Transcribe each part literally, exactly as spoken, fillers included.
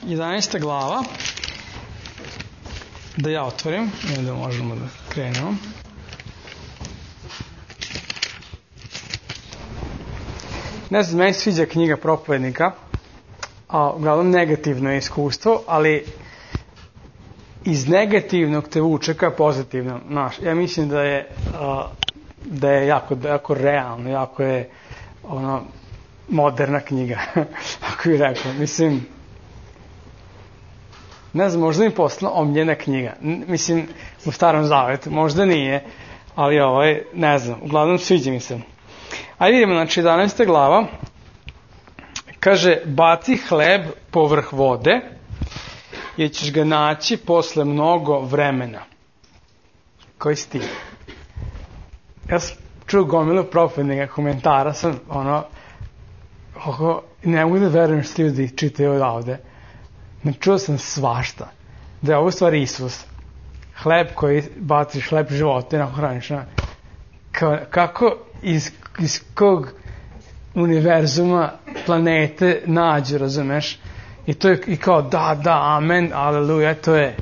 jedanaesta glava, da ja otvorim, i onda možemo da krenemo. Ne znam, meni sviđa knjiga Propovednika, a uglavnom negativno je iskustvo, ali iz negativnog te vuče ka pozitivnom. Znaš, ja mislim da je, a, da je jako, jako realno, jako je ono, moderna knjiga, ako bih rekao. Mislim, ne znam, možda mi posla omljena knjiga. Mislim, u Starom Zavetu, možda nije, ali ovaj, ne znam, uglavnom sviđa mi se. Ajde vidimo, znači, jedanaesta glava, kaže, baci hleb povrh vode, jer ćeš ga naći posle mnogo vremena. Koji si ti? Ja sam čuo gomilu Propovednika komentara, sam, ono, oko, ne mogu da verujem što ljudi čitaju odavde. Ne čuo sam svašta. Da je ovo stvari Isus. Hleb koji baciš, hleb života i nakon hraniš. Ka, kako iz, iz kog univerzuma, planete nađu, razumeš? I to je i kao da, da, amen, aleluja, to je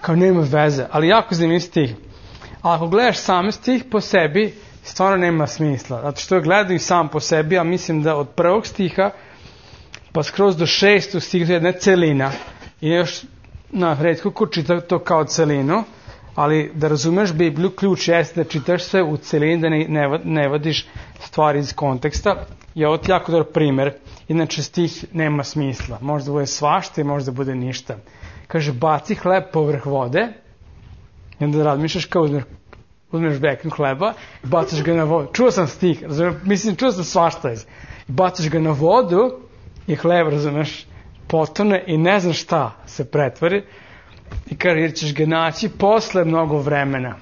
kao nema veze. Ali jako zanimljiv stih. A ako gledaš sam stih po sebi, stvarno nema smisla. Zato što gledaju sam po sebi, a mislim da od prvog stiha pa skroz do šestog stiha je jedna celina. I još, na, redko ko čita to kao celinu, ali da razumeš Bibliju, ključ jeste da čitaš sve u celini, da ne, ne, ne vadiš stvari iz konteksta. I ovo ti jako dobar primer. Inače stih nema smisla. Možda bude svašta i možda bude ništa. Kaže, baci hleb povrh vode i onda razmišljaš kao uzmeš, uzmeš beknu hleba i baciš ga na vodu. Čuo sam stih, razumiješ, mislim, čuo sam svašta. Baciš ga na vodu i hleb, razumiješ, potone i ne znam šta se pretvori. I kaže, jer ćeš ga naći posle mnogo vremena.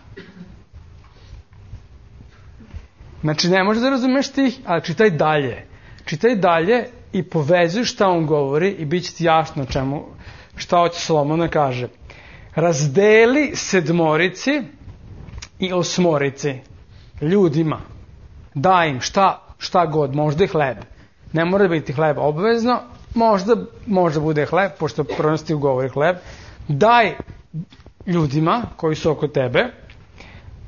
Znači, ne možeš da razumeš stih, ali čitaj dalje. Čitaj dalje i povezuj šta on govori i bit će ti jasno čemu, šta hoće Solomon da kaže. Razdeli sedmorici i osmorici ljudima. Daj im šta, šta god, možda i hleb. Ne mora biti hleb obavezno, možda, možda bude hleb, pošto pronosti ugovori hleb. Daj ljudima koji su oko tebe,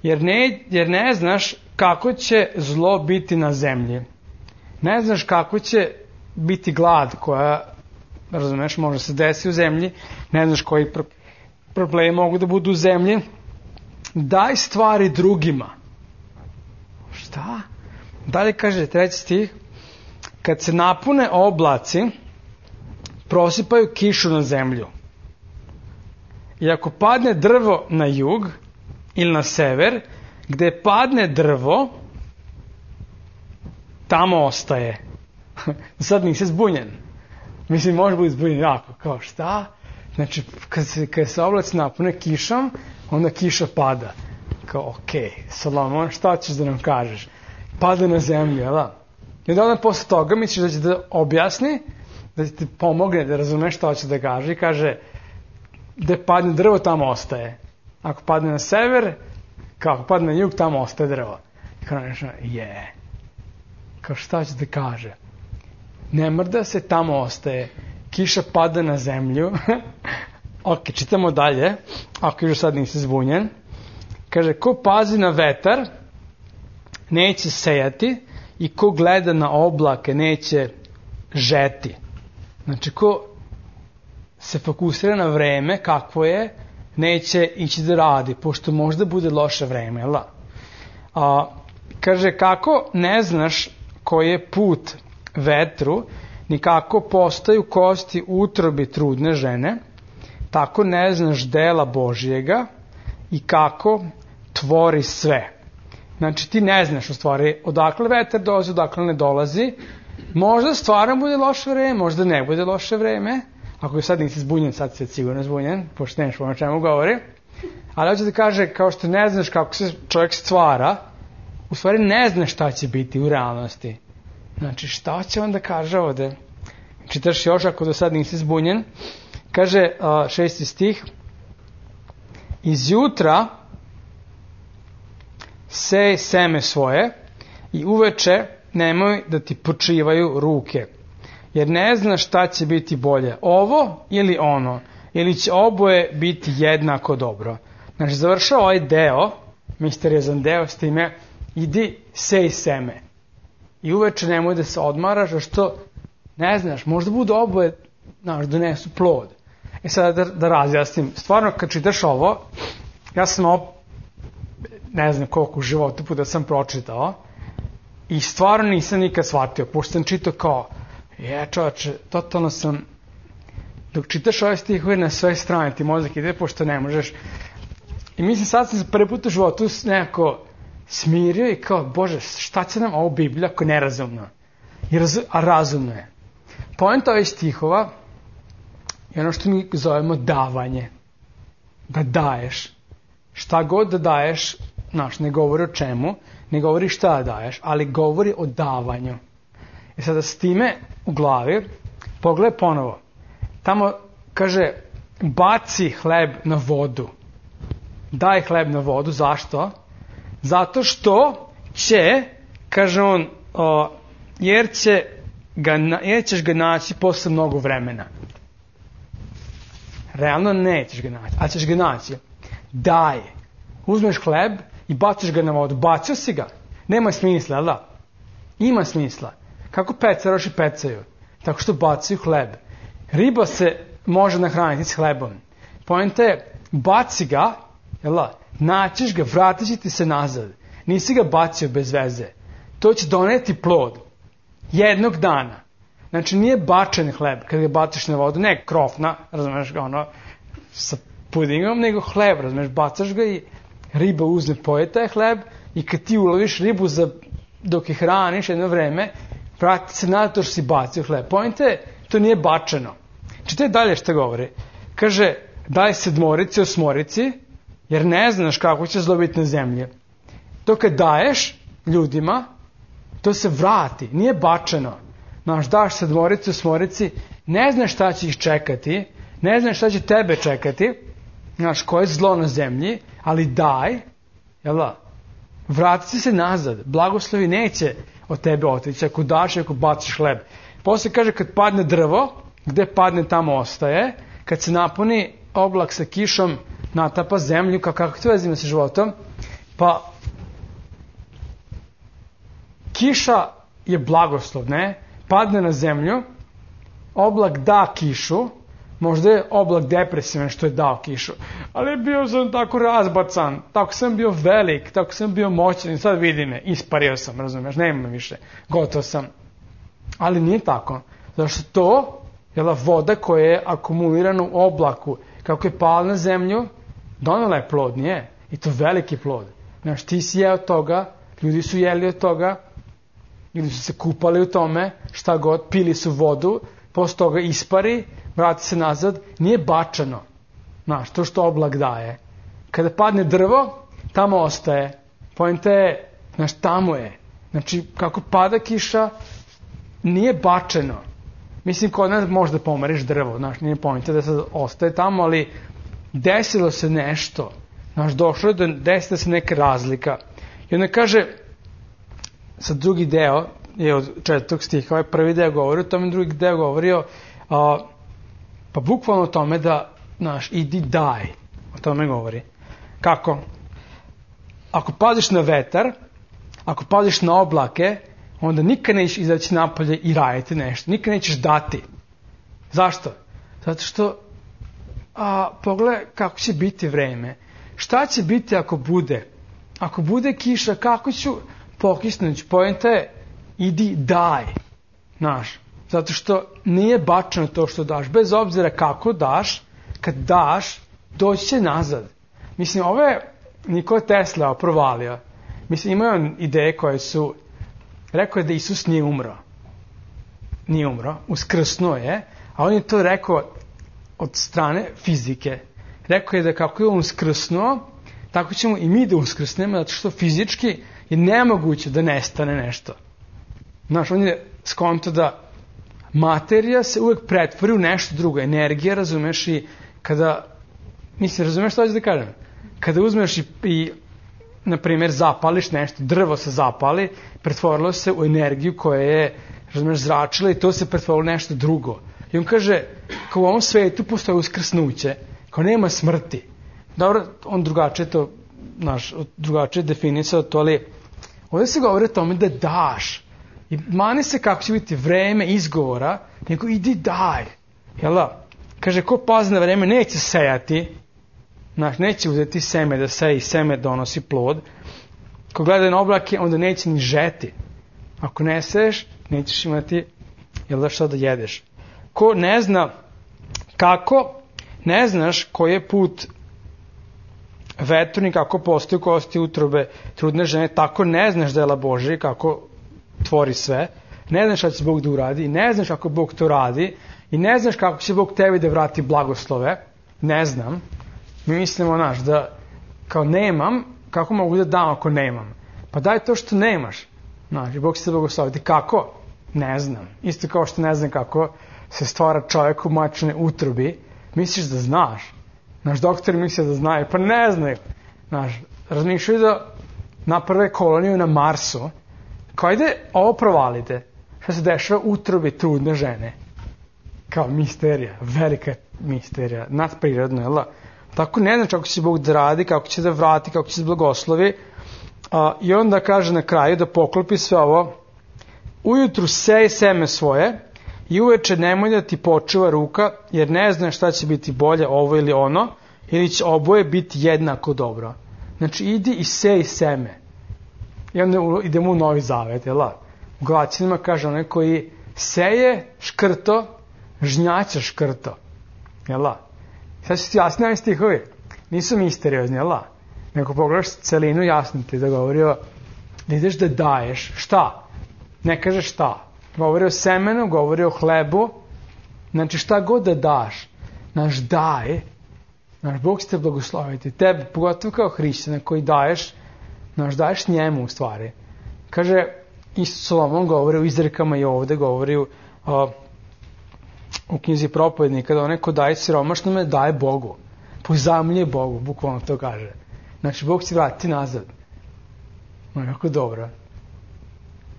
jer ne, jer ne znaš kako će zlo biti na zemlji. Ne znaš kako će biti glad koja, razumeš, može se desiti u zemlji. Ne znaš koji pro- problemi mogu da budu u zemlji. Daj stvari drugima. Šta? Dalje kaže treći stih. Kad se napune oblaci, prosipaju kišu na zemlju. I ako padne drvo na jug ili na sever, gde padne drvo, tamo ostaje. Sad nisi zbunjen. Mislim, može biti zbunjen jako. Kao šta? Znači, kad se, kad se oblaci napune kišom, onda kiša pada. Kao, okej, okay, Solomon, šta ćeš da nam kažeš? Pada na zemlju, jel da? I onda posle toga misliš da će da objasni, da će ti pomogne da razumeš šta će da kaže i kaže, gde padne drvo, tamo ostaje. Ako padne na sever, kako padne na jug, tamo ostaje drvo. I kao nešto, je. Kao šta će da kaže? Ne mrda se, tamo ostaje. Kiša pada na zemlju. Ok, čitamo dalje. Ako još sad nisi zbunjen. Kaže, ko pazi na vetar, neće sejati, i ko gleda na oblake, neće žeti. Znači, ko se fokusira na vreme, kakvo je, neće ići da radi, pošto možda bude loše vreme, jel da? A, kaže, kako ne znaš koji je put vetru, ni kako postaju kosti u utrobi trudne žene, tako ne znaš dela Božjega i kako tvori sve. Znači, ti ne znaš u stvari odakle vetar dolazi, odakle ne dolazi. Možda stvarno bude loše vreme, možda ne bude loše vreme. Ako sad nisi zbunjen, sad si sigurno zbunjen, pošto nemaš o čemu govori. Ali hoće da kaže, kao što ne znaš kako se čovjek stvara, u stvari ne znaš šta će biti u realnosti. Znači, šta će on da kaže ovde? Čitaš još, ako do sad nisi zbunjen. Kaže uh, šesti stih. Iz jutra sej seme svoje i uveče nemoj da ti počivaju ruke. jer ne zna šta će biti bolje, ovo ili ono, ili će oboje biti jednako dobro. Znači, završao ovaj deo, misteriozan deo, s time, idi sej seme. I uveče nemoj da se odmaraš, a što, ne znaš, možda budu oboje, znaš, donesu plod. E sada da, da razjasnim, stvarno kad čitaš ovo, ja sam ovo, ne znam koliko u životu puta sam pročitao, i stvarno nisam nikad shvatio, pošto sam čitao kao, je čovječe, totalno sam, dok čitaš ove stihove na sve strane, ti mozak ide, pošto ne možeš. I mislim, sad sam se prvi put u životu nekako smirio i kao, Bože, šta će nam ovo Biblija ako je nerazumno? I raz, a razumno je. Poenta ovih stihova je ono što mi zovemo davanje. Da daješ. Šta god da daješ, znaš, ne govori o čemu, ne govori šta da daješ, ali govori o davanju. I sada s time u glavi, pogledaj ponovo. Tamo kaže, baci hleb na vodu. Daj hleb na vodu, zašto? Zato što će, kaže on, o, jer, će ga, jer ćeš ga naći posle mnogo vremena. Realno nećeš ga naći, ali ćeš ga naći. Daj. Uzmeš hleb i baciš ga na vodu. Bacio si ga. Nema smisla, da? Ima smisla. Kako pecaroši pecaju? Tako što bacaju hleb. Riba se može nahraniti s hlebom. Poenta je, baci ga, jel, naćiš ga, vratit će ti se nazad. Nisi ga bacio bez veze. To će doneti plod. Jednog dana. Znači nije bačen hleb kad ga baciš na vodu, ne krofna, razumeš ga ono, sa pudingom, nego hleb, razumeš, bacaš ga i riba uzme, poje taj hleb i kad ti uloviš ribu za, dok je hraniš jedno vreme, vrati se nazad to što si bacio hleb. Pojente je, to nije bačeno. Čitaj dalje što govori. Kaže, daj sedmorici, osmorici, jer ne znaš kako će zlo biti na zemlji. To kad daješ ljudima, to se vrati, nije bačeno. Znaš, daš sedmorici, osmorici, ne znaš šta će ih čekati, ne znaš šta će tebe čekati, znaš, koje je zlo na zemlji, ali daj, jel da, vrati se nazad, blagoslovi neće od tebe otići, ako daš i ako baciš hleb. Posle kaže, kad padne drvo, gde padne tamo ostaje, kad se napuni oblak sa kišom, natapa zemlju, kako to vezimo sa životom, pa kiša je blagoslov, ne? Padne na zemlju, oblak da kišu, možda je oblak depresivan što je dao kišu, ali bio sam tako razbacan, tako sam bio velik, tako sam bio moćan i sad vidi me, ispario sam, razumiješ, nema više, gotov sam. Ali nije tako, zato što to je voda koja je akumulirana u oblaku, kako je pala na zemlju, donela je plod, nije, i to veliki plod. Znaš, ti si jeo toga, ljudi su jeli od toga, ili su se kupali u tome, šta god, pili su vodu, posle toga ispari, vrati se nazad, nije bačano. Znaš, to što oblak daje. Kada padne drvo, tamo ostaje. Poenta je, znaš, tamo je. Znači, kako pada kiša, nije bačeno. Mislim, kod nas možda pomeriš drvo, znaš, nije poenta da sad ostaje tamo, ali desilo se nešto. Znaš, došlo je da desila se neka razlika. I onda kaže, sad drugi deo je od četvrtog stiha, ovaj prvi deo govori o tome, drugi deo govorio, a, pa bukvalno o tome da, znaš, idi daj, o tome govori. Kako? Ako padiš na vetar, ako padiš na oblake, onda nikad nećeš izaći napolje i raditi nešto, nikad nećeš dati. Zašto? Zato što, a, pogledaj kako će biti vreme. Šta će biti ako bude? Ako bude kiša, kako ću pokisnući? Poenta je, idi daj. Znaš, zato što nije bačeno to što daš. Bez obzira kako daš, kad daš, doći će nazad. Mislim, ovo je Nikola Tesla provalio. Mislim, imaju on ideje koje su, rekao je da Isus nije umro. Nije umro, uskrsnuo je, a on je to rekao od strane fizike. Rekao je da kako je on uskrsnuo, tako ćemo i mi da uskrsnemo, zato što fizički je nemoguće da nestane nešto. Znaš, on je skonto da materija se uvek pretvori u nešto drugo. Energija, razumeš, i kada, mislim, razumeš što hoćeš da kažem? Kada uzmeš i, i na primjer, zapališ nešto, drvo se zapali, pretvorilo se u energiju koja je razumeš, zračila i to se pretvorilo nešto drugo. I on kaže, kao u ovom svetu postoje uskrsnuće, kao nema smrti. Dobro, on drugačije to, znaš, drugačije definisao to, ali ovdje se govori o tome da daš. I mani se kako će biti vreme izgovora, nego idi daj. Jel da? Kaže, ko pazi na vreme neće sejati, znaš, neće uzeti seme da seji, seme donosi plod. Ko gleda na oblake, onda neće ni žeti. Ako ne seješ, nećeš imati, jel da, šta da jedeš. Ko ne zna kako, ne znaš koji je put veturni, kako postoji kosti utrobe trudne žene, tako ne znaš dela Božije, kako tvori sve, ne znaš šta će Bog da uradi, i ne znaš kako Bog to radi, i ne znaš kako će Bog tebi da vrati blagoslove, ne znam. Mi mislimo, znaš, da kao nemam, kako mogu da dam ako nemam? Pa daj to što nemaš. Znaš, i Bog će te blagosloviti. Kako? Ne znam. Isto kao što ne znam kako se stvara čovjek u majčinoj utrobi, misliš da znaš. Naš doktor misli da znaju, pa ne znaju. Znaš, razmišljaju da naprave koloniju na Marsu. Kao ide, ovo provalite. Šta se dešava u utrobi trudne žene? Kao misterija, velika misterija, nadprirodno, jel da? Tako ne znam kako će Bog da radi, kako će da vrati, kako će da blagoslovi. A, I onda kaže na kraju da poklopi sve ovo. Ujutru sej seme svoje i uveče nemoj da ti počuva ruka, jer ne znaš šta će biti bolje, ovo ili ono, ili će oboje biti jednako dobro. Znači idi i sej seme. I onda idemo u Novi Zavet, jel da? U Galaćanima kaže onaj koji seje škrto, žnjaća škrto. Jel da? Sad ću ti jasni ovi stihovi. Nisu misteriozni, jel da? Nego pogledaš celinu, jasno ti da govori o da ideš da daješ. Šta? Ne kaže šta. Govori o semenu, govori o hlebu. Znači šta god da daš, naš daj, naš Bog će te blagosloviti. Tebe, pogotovo kao hrišćana koji daješ, naš daješ njemu u stvari. Kaže, isto Solomon govori u izrekama i ovde govori u, o, u knjizi Propovednika, da onaj ko daje siromašnome daje Bogu. Pozajmljuje Bogu, bukvalno to kaže. Znači, Bog će vratiti nazad. No, jako dobro.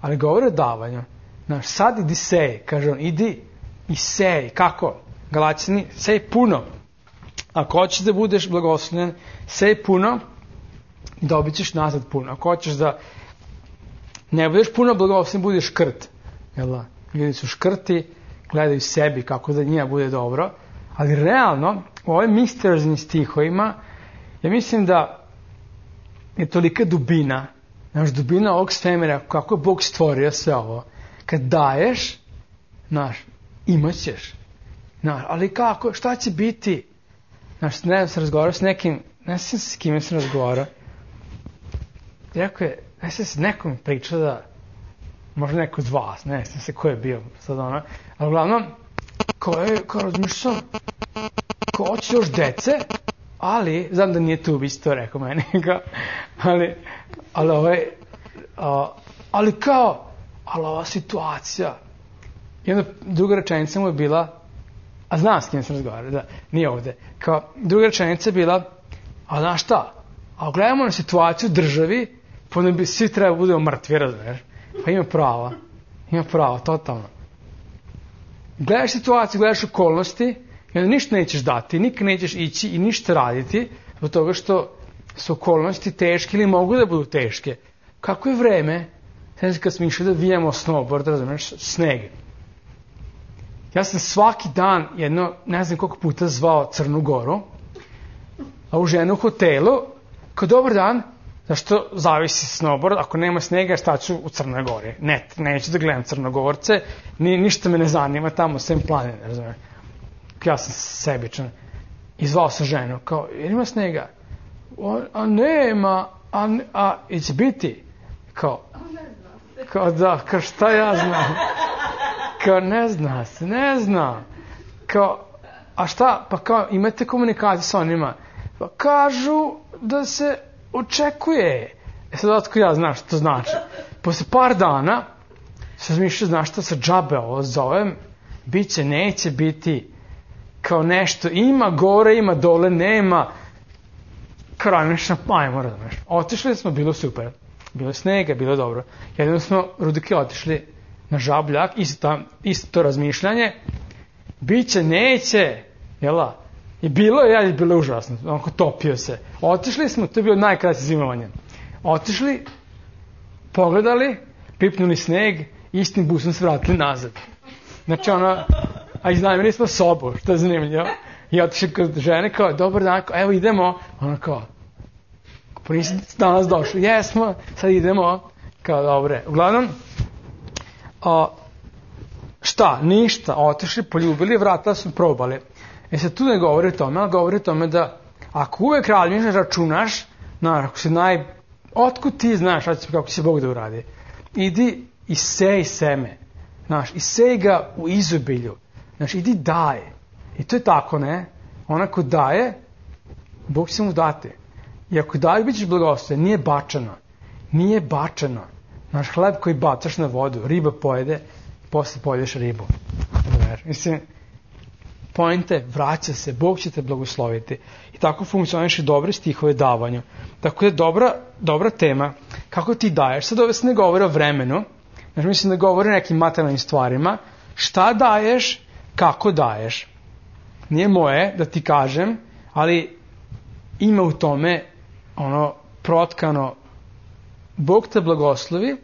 Ali govori o davanju. Znaš, sad idi sej, kaže on, idi i sej. Kako? Galaćani, sej puno. Ako hoćeš da budeš blagoslovljen, sej puno i dobit ćeš nazad puno. Ako hoćeš da ne budeš puno blagoslovljen, budeš škrt. Jel da? Ljudi su škrti, gledaju sebi kako da njima bude dobro. Ali realno, u ovim misterioznim stihovima, ja mislim da je tolika dubina, znaš, dubina ovog svemira, kako je Bog stvorio sve ovo. Kad daješ, znaš, imat ćeš. Znaš, ali kako, šta će biti? Znaš, ne znam se razgovarao s nekim, ne znam s kime sam razgovarao. Rekao je, ne znam se nekom pričao da, možda neko od vas, ne znam se ko je bio sad ono, ali uglavnom, ko je, ko razmišljam, ko hoće još dece, ali, znam da nije tu, bi to rekao meni, ali, ali ovaj, a, ali kao, ali ova situacija, i onda druga rečenica mu je bila, a znam s kim sam razgovarao, da, nije ovde, kao, druga rečenica je bila, a znaš šta, a gledamo na situaciju u državi, pa onda bi svi treba budemo mrtvi, razumiješ, pa ima prava, ima prava, totalno. Gledaš situaciju, gledaš okolnosti, i onda ništa nećeš dati, nikad nećeš ići i ništa raditi, zbog toga što su okolnosti teške ili mogu da budu teške. Kako je vreme, znači kad smo išli da vijemo snowboard, razumiješ, sneg. Ja sam svaki dan jedno, ne znam koliko puta zvao Crnu Goru, a u ženu u hotelu, kao dobar dan, zašto zavisi snowboard, ako nema snega, šta ću u Crnoj Gori? Ne, neću da gledam Crnogorce, ni, ništa me ne zanima tamo, sem planine, razumiješ. Ja sam sebičan. I zvao sam ženu, kao, jer ima snega? O, a nema, a, a, i će biti? Kao, kao da, kao šta ja znam? Kao, ne zna se, ne zna. Kao, a šta, pa kao, imate komunikaciju sa onima? Pa kažu da se očekuje. E sad otko ja znam što to znači. Posle par dana, se razmišljao, znaš šta, sa džabe ovo zovem, bit će, neće biti, kao nešto, ima gore, ima dole, nema, kraj nešto, ajmo, razumiješ. Otišli smo, bilo super, bilo snega, bilo dobro. Jedino smo Rudike otišli na žabljak, isto, tam, isto to razmišljanje, biće, neće, jela, i bilo je, ja, bilo je užasno, onako topio se. Otišli smo, to je bilo najkraće zimovanje. Otišli, pogledali, pipnuli sneg, istim busom se vratili nazad. Znači ono, a iznajmili smo sobu, što je zanimljivo. I otišli kod žene kao, dobar dan, kao, evo idemo. Ona kao, pa nisi danas došli, jesmo, sad idemo. Kao, dobre. Uglavnom, a, šta, ništa, otišli, poljubili, vrata su probali. E sad tu ne govori o tome, ali govori o tome da ako uvek radiš, računaš, na, ako si naj... Otkud ti znaš kako će Bog da uradi? Idi i sej seme. Znaš, i sej ga u izobilju. Znaš, idi daje. I to je tako, ne? Onako daje, Bog će mu dati. I ako daje, bit ćeš blagosloven. Nije bačano. Nije bačano. Znaš, hleb koji bacaš na vodu, riba pojede, posle pojedeš ribu. Mislim, pointe, vraća se, Bog će te blagosloviti. I tako funkcioniš i dobre stihove davanju. Tako je dobra, dobra tema. Kako ti daješ? Sad ove se ne govori o vremenu. Znači, mislim da govori o nekim materijalnim stvarima. Šta daješ, kako daješ. Nije moje da ti kažem, ali ima u tome ono protkano Bog te blagoslovi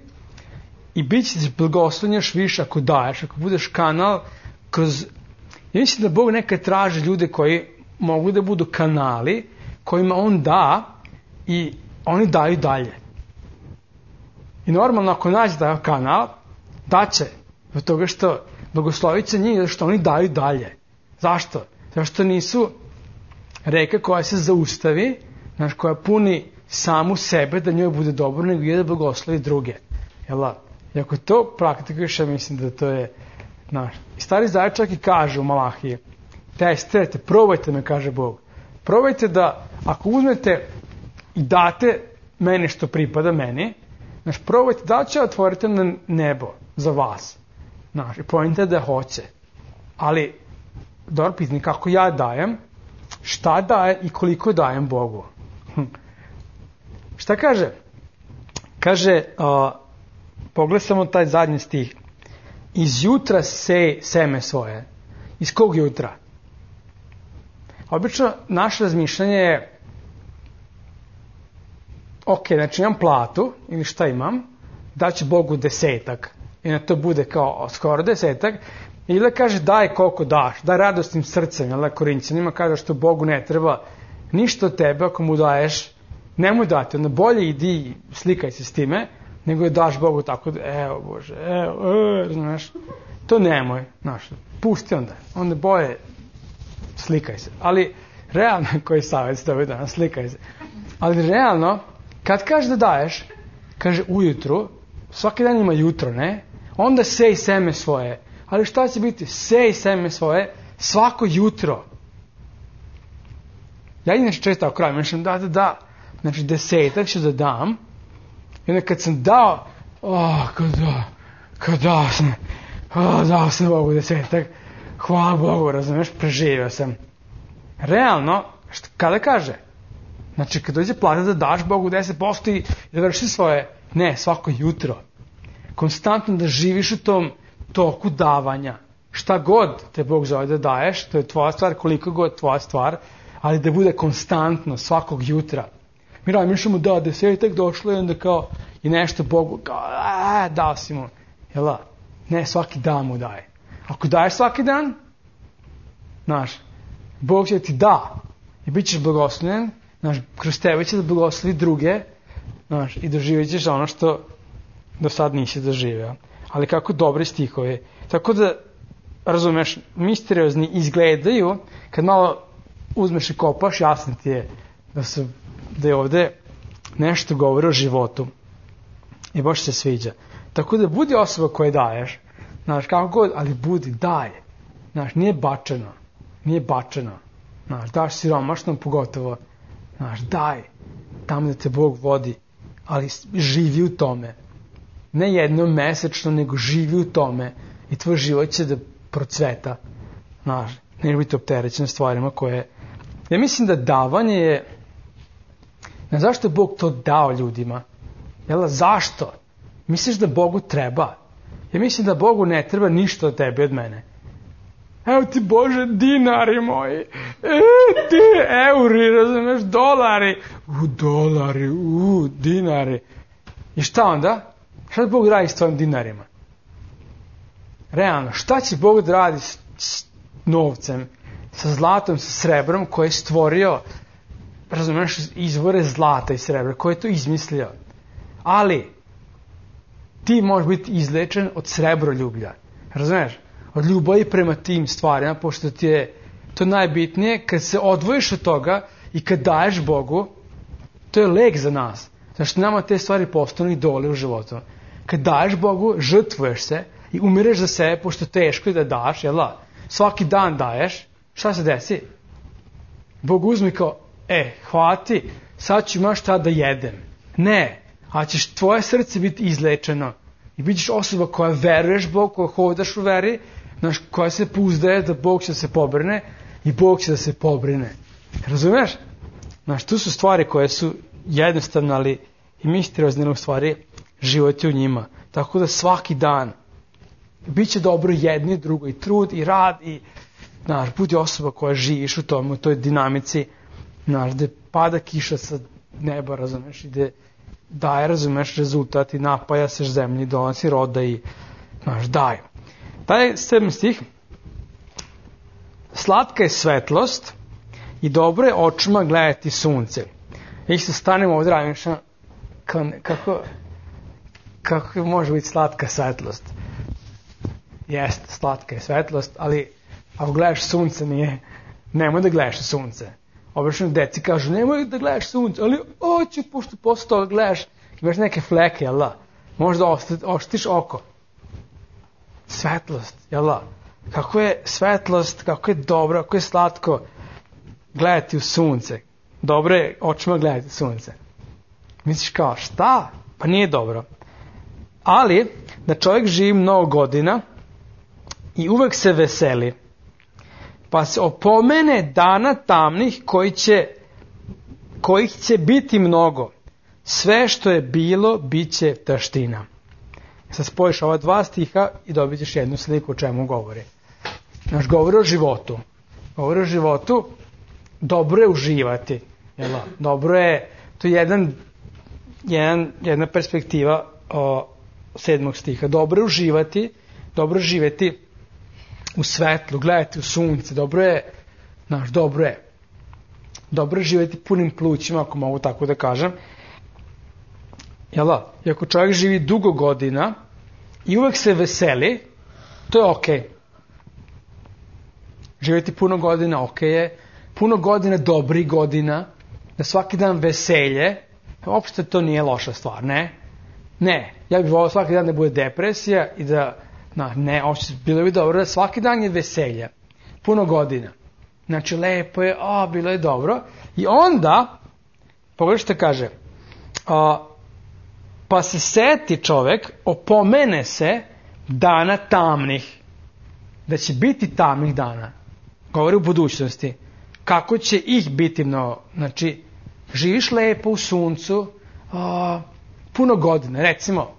i bit će ti blagoslovljen još više ako daješ, ako budeš kanal kroz... Ja mislim da Bog nekad traži ljude koji mogu da budu kanali kojima on da i oni daju dalje. I normalno ako nađe taj kanal, daće od toga što blagoslovit će njih, što oni daju dalje. Zašto? Zato što nisu reka koja se zaustavi, znaš, koja puni samu sebe da njoj bude dobro, nego je da blagoslovi druge. Jel' I ako to praktikuješ, ja mislim da to je, znaš, i stari Zavet čak i kaže u Malahiji, testirajte, probajte me, kaže Bog. Probajte da, ako uzmete i date meni što pripada meni, znaš, probajte da će otvoriti na nebo za vas. Znaš, i pojente da hoće. Ali, dobro pitanje, kako ja dajem, šta daje i koliko dajem Bogu. Hm. Šta kaže? Kaže, uh, pogled samo taj zadnji stih. Iz jutra sej seme svoje. Iz kog jutra? Obično, naše razmišljanje je ok, znači imam platu, ili šta imam, daću Bogu desetak. I na to bude kao skoro desetak. Ili kaže daj koliko daš, daj radosnim srcem, jel da Korinćanima kaže što Bogu ne treba ništa od tebe ako mu daješ, nemoj dati, onda bolje idi slikaj se s time, nego je daš Bogu tako, evo Bože, evo, evo, znaš, to nemoj, znaš, pusti onda, onda bolje slikaj se, ali realno, koji savjet ste ovaj danas, slikaj se, ali realno, kad kaže da daješ, kaže ujutru, svaki dan ima jutro, ne, onda sej seme svoje, ali šta će biti? Sej seme svoje svako jutro. Ja inače često ako krajem mislim da, da, da. Znači desetak ću da dam. I onda kad sam dao, oh, kad da, kad dao sam, oh, dao sam Bogu desetak, hvala Bogu, razumiješ, preživio sam. Realno, šta, kada kaže? Znači kad dođe plata da daš Bogu deset posto i da vrši svoje, ne, svako jutro. Konstantno da živiš u tom toku davanja. Šta god te Bog zove da daješ, to je tvoja stvar, koliko god tvoja stvar, ali da bude konstantno, svakog jutra. Mi razmišljamo da desetak došlo i onda kao i nešto Bogu, kao a, dao si mu. Jel' ne, svaki dan mu daje. Ako daješ svaki dan, znaš, Bog će ti da i bit ćeš blagoslovljen, znaš, kroz tebe će da blagoslovi druge, znaš, i doživjet ćeš ono što do sad nisi doživeo. Ali kako dobri stihovi. Tako da, razumeš, misteriozni izgledaju, kad malo uzmeš i kopaš, jasno ti je da, su, da je ovde nešto govori o životu. I baš se sviđa. Tako da budi osoba koje daješ, znaš, kako god, ali budi, daje. Znaš, nije bačeno. Nije bačeno. Znaš, daš siromašnom pogotovo. Znaš, daj. Tamo da te Bog vodi. Ali živi u tome. Ne jednom mesečno, nego živi u tome i tvoj život će da procveta. Znaš, ne biti opterećen stvarima koje... Ja mislim da davanje je... Ne, zašto je Bog to dao ljudima? Jel, zašto? Misliš da Bogu treba? Ja mislim da Bogu ne treba ništa od tebe, od mene. Evo ti Bože, dinari moji, e, ti euri, razumeš, dolari, u dolari, u dinari. I šta onda? Šta Bog radi s tvojim dinarima? Realno, šta će Bog da radi s, s novcem, sa zlatom, sa srebrom koje je stvorio, razumeš, izvore zlata i srebra, koje je to izmislio. Ali, ti možeš biti izlečen od srebroljublja, razumeš? Od ljubavi prema tim stvarima, pošto ti je to najbitnije, kad se odvojiš od toga i kad daješ Bogu, to je lek za nas. Znači, nama te stvari postanu idoli u životu. Kad daješ Bogu, žrtvuješ se i umireš za sebe, pošto teško je da daš, jel da? Svaki dan daješ, šta se desi? Bog uzmi kao, e, hvati, sad ću imaš šta da jedem. Ne, a ćeš tvoje srce biti izlečeno i bit ćeš osoba koja veruješ Bog, koja hodaš u veri, znaš, koja se pouzdaje da Bog će da se pobrine i Bog će da se pobrine. Razumeš? Znaš, tu su stvari koje su jednostavne, ali i misteriozne u stvari život je u njima. Tako da svaki dan bit će dobro jedno i drugo, i trud, i rad, i znaš, budi osoba koja živiš u tome, u toj dinamici, znaš, gde pada kiša sa neba, razumeš, i gde daje, razumeš, rezultat i napaja se zemlji, donosi roda i, znaš, daje. Taj sedmi stih, slatka je svetlost i dobro je očima gledati sunce. I se stanemo ovdje, razmišljam, kako, kako može biti slatka svetlost. Jeste, slatka je svetlost, ali ako gledaš sunce, nije, nemoj da gledaš sunce. Obično deci kažu, nemoj da gledaš sunce, ali oće, pošto posle toga gledaš, imaš neke fleke, jel da? Možda oštiš oko. Svetlost, jel da? Kako je svetlost, kako je dobro, kako je slatko gledati u sunce. Dobro je očima gledati sunce. Misliš kao, šta? Pa nije dobro. Ali, da čovjek živi mnogo godina i uvek se veseli, pa se opomene dana tamnih koji će, kojih će biti mnogo. Sve što je bilo, bit će taština. Sad spojiš ova dva stiha i dobit ćeš jednu sliku o čemu govori. Znaš, govori o životu. Govori o životu, dobro je uživati. Jel? Dobro je, to je jedan, jedan, jedna perspektiva o, sedmog stiha. Dobro je uživati, dobro je živjeti u svetlu, gledati u sunce, dobro je, znaš, dobro je. Dobro je živjeti punim plućima, ako mogu tako da kažem. Jel da? I ako čovjek živi dugo godina i uvek se veseli, to je okej. Okay. Živjeti puno godina okej okay je. Puno godina dobrih godina, da svaki dan veselje, uopšte to nije loša stvar, ne? Ne, ja bih volio svaki dan da bude depresija i da, na, ne, uopšte bilo bi dobro da svaki dan je veselje. Puno godina. Znači, lepo je, a, bilo je dobro. I onda, pogledaj što kaže, a, pa se seti čovek, opomene se dana tamnih, da će biti tamnih dana. Govori u budućnosti. Kako će ih biti mnogo? Znači, živiš lepo u suncu, a, puno godina, recimo,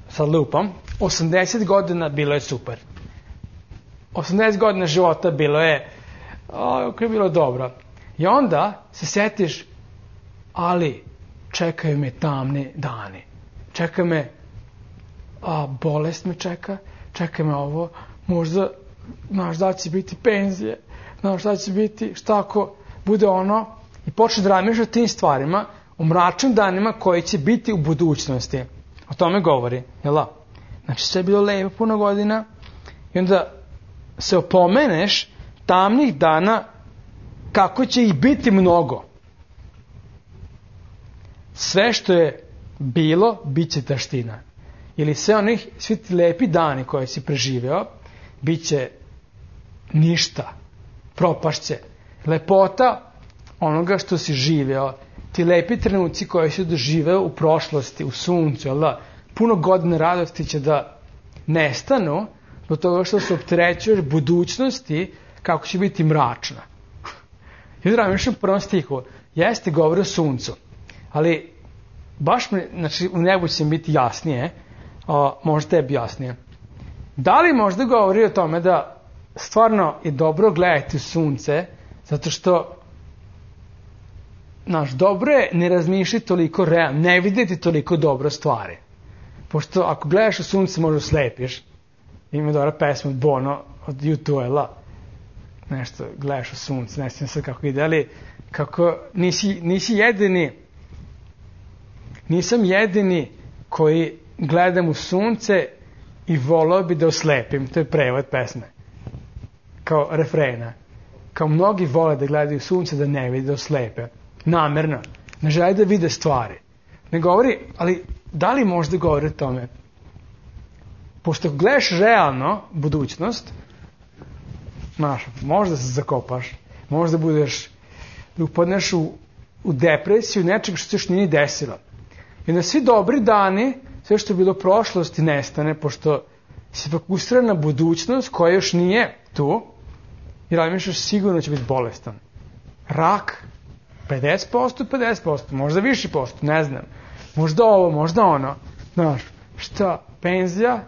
sad lupam, osamdeset godina bilo je super. osamdeset godina života bilo je, a, je bilo dobro. I onda se setiš, ali čekaju me tamni dani. Čeka me, a, bolest me čeka, čeka me ovo, možda, znaš, da će biti penzije, znaš, šta će biti, šta ako bude ono, i počne da razmišljaš o tim stvarima, o mračnim danima koji će biti u budućnosti. O tome govori, jel da? Znači, sve je bilo lepo puno godina i onda se opomeneš tamnih dana kako će ih biti mnogo. Sve što je bilo, bit će taština. Ili sve onih, svi ti lepi dani koje si preživeo, bit će ništa. Propašće. Lepota onoga što si živeo, ti lepi trenuci koji si doživeo u prošlosti, u suncu, jel da? Puno godina radosti će da nestanu do toga što se opterećuješ budućnosti kako će biti mračna. I da razmišljam u prvom stihu, jeste govori o suncu, ali baš mi, znači u nebu će biti jasnije, a, možda tebi jasnije. Da li možda govori o tome da stvarno je dobro gledati u sunce, zato što znaš, dobro je ne razmišljati toliko realno, ne vidjeti toliko dobro stvari. Pošto ako gledaš u sunce možda slepiš. Ima dobra pesma od Bono, od U dva, nešto, gledaš u sunce, ne znam sad kako ide, ali kako nisi, nisi jedini, nisam jedini koji gledam u sunce i volao bi da oslepim, to je prevod pesme, kao refrena. Kao mnogi vole da gledaju sunce da ne vide, da oslepe, namerno, ne žele da vide stvari. Ne govori, ali da li možda govori o tome? Pošto gledaš realno budućnost, znaš, možda se zakopaš, možda budeš, da upadneš u, u depresiju nečeg što se još nije desilo. I na svi dobri dani, sve što je bilo prošlosti nestane, pošto si fokusiran na budućnost koja još nije tu, jer razmišljaš sigurno će biti bolestan. Rak, pedeset posto, pedeset posto, možda više posto, ne znam. Možda ovo, možda ono. Znaš, šta, penzija?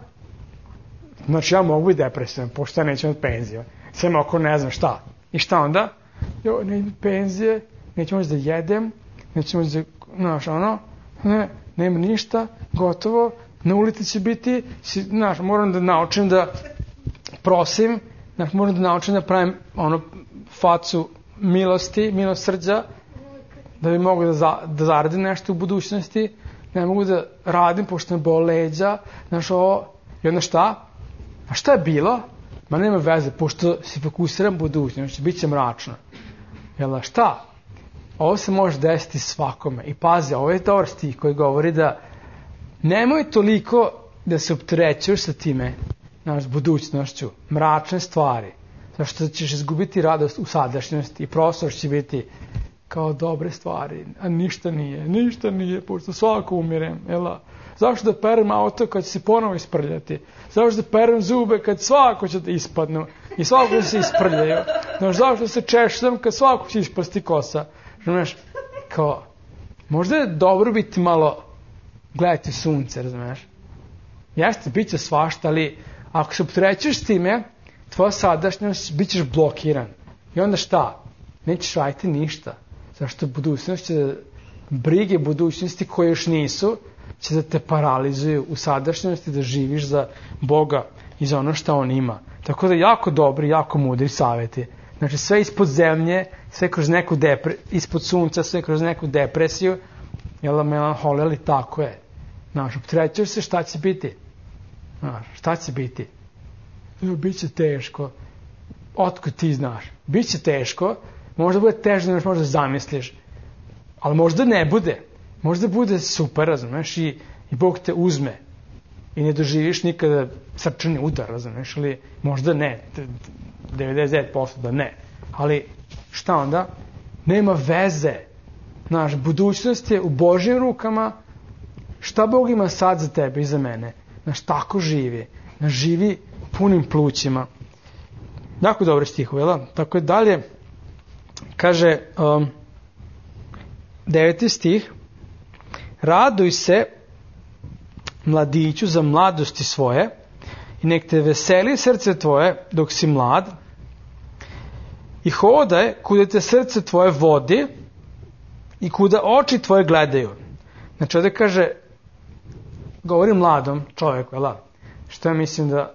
Znači ja mogu i depresivan, pošto ja neću imati penziju. Sve ako ne znam šta. I šta onda? Jo, ne imam penzije, neću moći da jedem, neću moći da, znaš, ono, ne, nema ništa, gotovo, na ulici će biti, znaš, moram da naučim da prosim, znaš, moram da naučim da pravim, ono, facu milosti, milosrđa, da bi mogu da, za, da zaradim nešto u budućnosti, ne mogu da radim, pošto me bole leđa, znaš, ovo, i onda šta? A šta je bilo? Ma nema veze, pošto se fokusiram budućnost, bit će mračno. Jel, šta? Ovo se može desiti svakome. I pazi, ovo je dobar stih koji govori da nemoj toliko da se opterećuješ sa time, znaš, budućnošću, mračne stvari, zašto ćeš izgubiti radost u sadašnjosti i prostor će biti kao dobre stvari, a ništa nije, ništa nije, pošto svako umirem, jel? Zašto da perem auto kad će se ponovo isprljati? Zašto da perem zube kad svako će da ispadnu i svako će se isprljaju? Znaš, zašto se češljam kad svako će ispasti kosa? Znaš, kao, možda je dobro biti malo gledati sunce, razumiješ? Jeste, bit će svašta, ali ako se opterećuješ s time, tvoja sadašnjost, bit ćeš blokiran. I onda šta? Nećeš raditi ništa. Zašto budućnost će, brige budućnosti koje još nisu, će da te paralizuju u sadašnjosti, da živiš za Boga i za ono što On ima. Tako da jako dobri, jako mudri savjeti. Znači sve ispod zemlje, sve kroz neku depre, ispod sunca, sve kroz neku depresiju, jel, melanholija, ali tako je. Znaš, opterećuješ se, šta će biti? Znaš, šta će biti? Biće teško. Otkud ti znaš? Biće teško, možda bude teže nego što možda zamisliš, ali možda ne bude. Možda bude super, razumeš, i, i Bog te uzme i ne doživiš nikada srčani udar, razumeš, ali možda ne, devedeset devet posto da ne, ali šta onda? Nema veze, znaš, budućnost je u Božjim rukama, šta Bog ima sad za tebe i za mene, znaš, tako živi, znaš, živi punim plućima. Jako dobre stihove, jel? Tako je dalje, kaže um, deveti stih, raduj se mladiću za mladosti svoje i nek te veseli srce tvoje dok si mlad i hodaj kuda te srce tvoje vodi i kuda oči tvoje gledaju. Znači ovdje kaže, govori mladom čovjeku, jel? Što ja mislim da